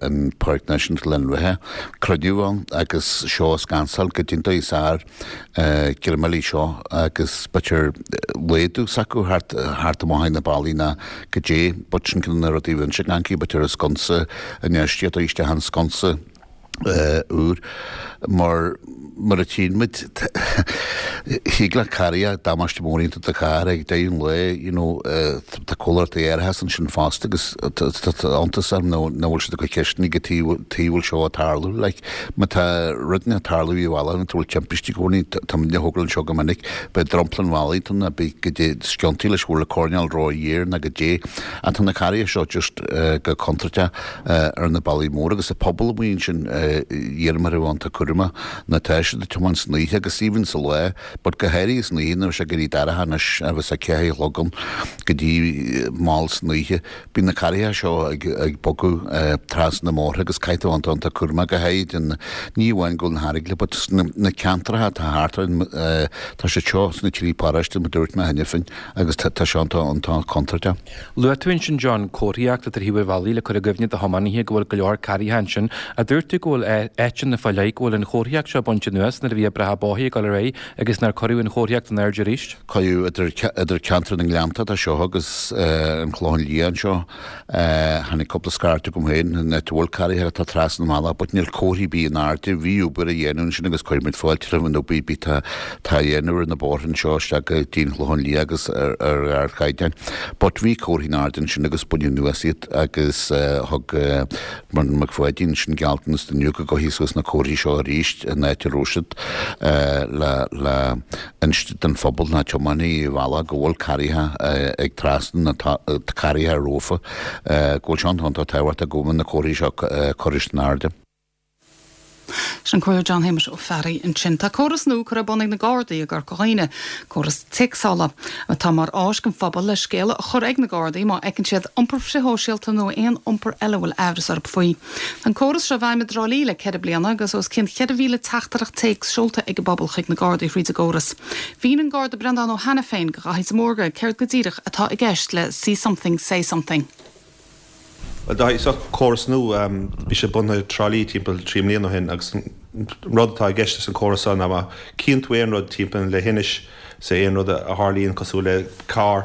an Páirc Náisiúnta Ghleann Bheatha. Cruinniú ann agus seo a scansáil goidé an dóigh is fhearr greim seo agus b'fhéidir laghdú s'acu thart thart amach ag na ballaí ná goidé but sin ceann de na rudaí a bhíonn sé gan b'fhéidir an sconsa infheistíocht isteach an sconsa úr mar mar a tchíonn muid thig le carraig damáiste mór a dhéanamh do charr ag deireadh an lae you know tá comhlachtaí árachais ansin fosta agus tá iontas orm nach bhfuil siad ag cur ceisteanna cad chuige a bhfuil seo ag tarlú like má tá rud ag tarlú i bhaile nó tá bhfuil timpistí i gcónaí tá muid ag thógáil anseo go minic beidh dromchla an bhaile tá na beidh goidé sciontaí leis bhfuil coirnéal ró-ghéar nó goidé ach tá na carraighe seo just go contúirteach ar na bealaí móra agus an pobal amuigh ansin iarraim orthu iontach cúramach ná tá siad ag tiomáint san oíche agus even sa lá but go háirithe san oíche nuair atá sé ag éirí dorcha anois agus a ceathair a chlog ann go dtí mall san oíche bíonn na carraithe seo ag ag bogadh trasna na mbóithre agus caithfidh tú iontach iontach cúramach go háirithe den ní amháin go bhfuil na hEaragaile but sna na ceantracha atá thart ar tá siad seo sna trí paróiste mar dúirt mé cheana féin agus tá sé iontach iontach contúirteach. Luaigh tú ansin, John, comharthaíocht atá ar thaobh an bhealaigh le cur i gcuimhne do thiománaithe go bhfuil go leor carraithe ansin. Ach dúirt tú go bhfuil áiteanna fá leith go bhfuil an chomharthaíocht seo bainte anuas. anuas nuair a bhí oibreacha bóthair ag dul ar aghaidh agus nár cuireadh an chomharthaíocht in airde arís. Cuireadh idir idir ceantar na nGleannta atá seo agus an Clochán Liath anseo. Tháinig cúpla scairt chugam féin an áit a bhfuil carraithe atá trasna an bhealaigh but níl comharthaí ar bith in airde. Bhí obair á dhéanamh ansin agus cuirimid fáilte roimh an obair ar bith atá á dhéanamh ar na bóithre anseo isteach go dtí an Chlochán Liath agus ar ardchaighdeán. But bhí comharthaí in airde ansin agus baineadh anuas iad agus thug Brendan Mac Pháidín ansin gealltanas inniu go gcuirfí suas na comharthaí seo arís in áit a raibh siad le le inste don phobal na tiománaithe ar bhealach go bhfuil carraithe ag trasnú na carraithe rófa go bhfuil sé iontach tábhachtach go bhfuil na comharthaí seo curtha in airde. Sin Comhairleoir John Shéamuis Ó Fearraigh ansin. Tá córas nua curtha ar bun ag na Gardaí i gCorca Dhuibhne, córas téacsála, atá mar áis don phobal le scéala a chur ag na Gardaí má fheiceann siad iompar frithshóisialta nó aon iompar eile a bhfuil aimhreas orthu faoi. Tá an córas seo i bhfeidhm i dTrá Lí le 4 bliana agus os cionn 4,000 teachtaireacht téacs seolta ag an bpobal chuig na Gardaí thríd an gcóras. Mhínigh an Garda Breandán Ó hAiniféin do Dhaithí de Mórdha céard go díreach atá i gceist le 'See Something, Say Something'. Bhuel, Dáithí, seo córas nua. Bhí sé bunaithe i dTrá Lí timpeall 3 mbliana ó shin agus an rud atá i gceist leis an chóras seo ná má chíonn tú aon rud timpeall na leithinis, say aon rud a tharlaíonn cosúil le carr,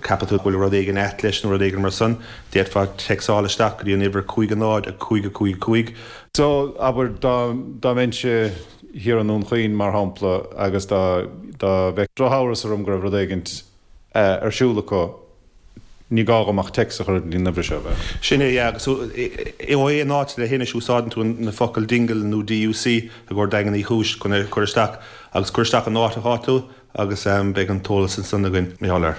ceapann tú go bhfuil rud éigin ait leis nó rud éigin mar san, d'fhéadfá téacsáil isteach go dtí an uimhir 5 0 5 5 5. So, abair, dá dá mbeinnse thiar i nDún Chaoin, mar shampla, agus dá dá mbeadh drochamhras orm go raibh rud éigint ar siúl acu, Ní gá dhom ach téacs a chur go dtí an uimhir seo, ab ea? Sin é, yeah, agus ó aon áit le leithinis úsáideann tú na focail Dingle nó DUC i gcomhair Daingean Uí Chúis chun é a chur isteach agus cuir isteach an áit atá tú agus beidh an t-eolas ansan againn mar gheall air.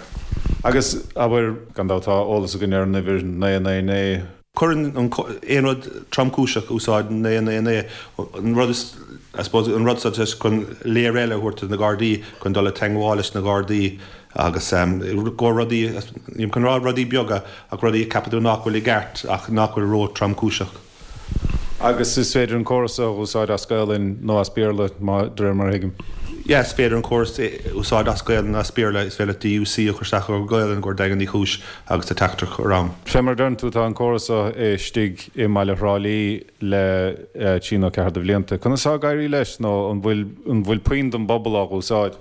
Agus, abair, gan dabht tá eolas againn ar an uimhir 999. Cuireann an aon rud tromchúiseach úsáid 9 9 9 an rud is I suppose an rud seo just chun layer eile a thabhairt do na Gardaí chun dul i teangmháil leis na Gardaí agus go rudaí nílim chun rá rudaí beaga ach rudaí a ceapann tú nach bhfuil i gceart ach nach bhfuil ró tromchúiseach. Agus is féidir an córas a úsáid as Gaolainn nó as Béarla, de réir mar a thuigim. Yeah, is féidir an córas a úsáid as Gaolainn nó as Béarla. Is féidir leat DUC a chur isteach i Gaolainn i gcomhair Daingean Uí Chúis agus tá teachtaireacht ann. Fé mar a deireann tú, tá an córas seo istigh i mbaile Thrá Lí le trí nó ceathair de bhlianta. Conas atá ag éirí leis nó an bhfuil an bhfuil puinn den bpobal á úsáid?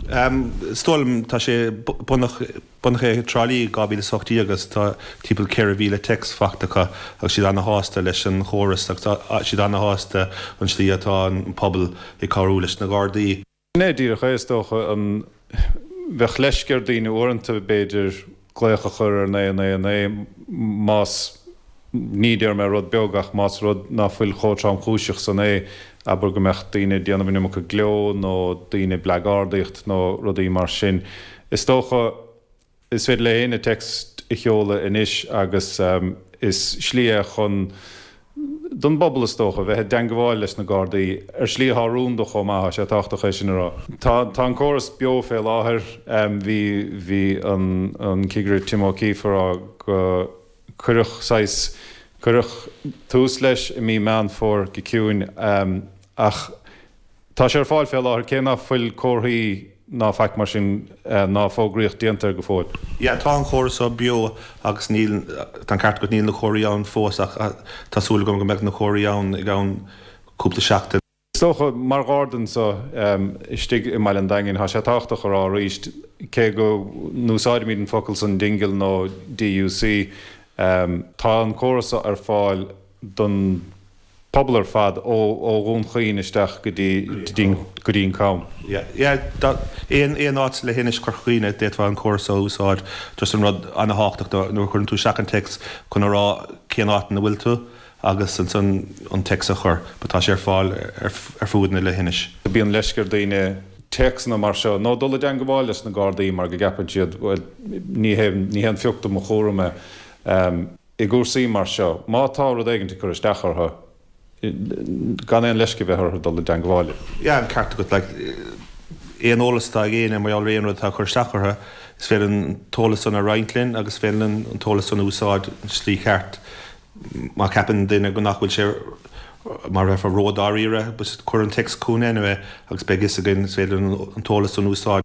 Is dóigh liom tá sé bunaithe Bunaithe i dTrá Lí i 2018 agus tá timpeall 4,000 téacs faighte acu agus siad ana-shásta leis an chóras agus tá siad ana-shásta an slí atá an pobal ag cabhrú leis na Gardaí. Sin é díreach é, is dócha. An bheadh leisce ar daoine uaireanta, b'fhéidir, glaoch a chur ar 999 más, ní déarfaidh mé rud beag, ach más rud ná fuil chomh tromchúiseach san é, abair go mbeadh daoine ag déanamh an iomarca gleo nó daoine ag bleagardaíocht nó rudaí mar sin. Is dócha, is féidir le éinne téacs a sheoladh anois agus is slí é chun, don bpobal is dócha, bheith i dteangabháil leis na Gardaí, ar slí atá rúnda chomh maith, tá sé tábhachtach é sin a rá. Tá, tá an córas beo fé láthair. Bhí, bhí an, an Cigire Tim O'Keefe a rá go cuireadh saghas, cuireadh tús leis i mí Meán Fómhair go ciúin ach tá sé ar fáil fé láthair cé ná fuil comharthaí ná faic mar sin ná fógraíocht déanta air go fóill. Yeah, tá an chóras seo beo agus níl, tá an ceart agat, níl na comharthaí ann fós ach tá súil agam go mbeidh na comharthaí ann i gceann cúpla seachtain. Is dócha, mar Gharda anso istigh i mbaile an Daingin, tá sé tábhachtach a rá arís, cé go n-úsáidimid an focal san Dingle nó DUC, tá an córas so ar fáil don phobal ar fad ó Dhún Chaoin isteach go dtí go dtí an Cam. Yeah, yeah, aon aon áit le leithinis Chorca Dhuibhne d'fhéadfá an córas so a úsáid, just an rud ana-thábhachtach nuair a chuireann tú isteach an téacs chun a rá cén áit ina bhfuil tú. agus ansan an téacs a chur, but tá sé ar fáil ar fuaid na leithinis. Bíonn leisce ar daoine téacsanna mar seo nó dul i dteangabháil leis na Gardaí mar go gceapann siad, bhuel, ní hé, ní haon phioc de mo chúram é. I gcúrsaí mar seo, má tá rud éigin ag cur isteach orthu, gan aon leisce a bheith orthu dul i dteangabháil. Yeah, an ceart agat, like, aon eolas atá ag éinne mar gheall ar aon rud atá ag cur isteach orthu, is féidir an t-eolas san a roinnt linn agus is féidir linn an t-eolas san a úsáid i slí cheart. Má cheapann duine go nach bhfuil sé mar a bheifeá ró-dáiríre, cuir an téacs chugainn anyway agus beidh fhios againn, is féidir linn an t-eolas san a úsáid.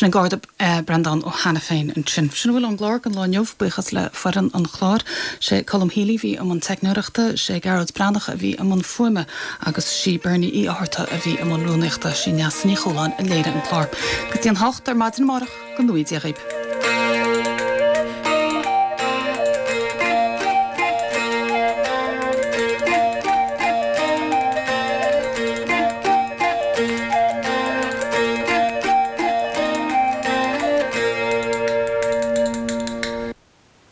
Sin an Garda Breandán Ó hAiniféin ansin. Sin a bhfuil ón gclár don lá inniu. Buíochas le foireann an chláir. Sé Colm Healy a bhí i mbun teicneoireachta, sé Gearóid Breathnach a bhí i mbun fuaime agus sí Bernie Uí Fhátharta a bhí i mbun rúnaíochta. Sí Neasa Ní Chualáin a léirigh an clár. Go dtí an hocht ar maidin amárach, go ngnóthaí Dia dhaoib.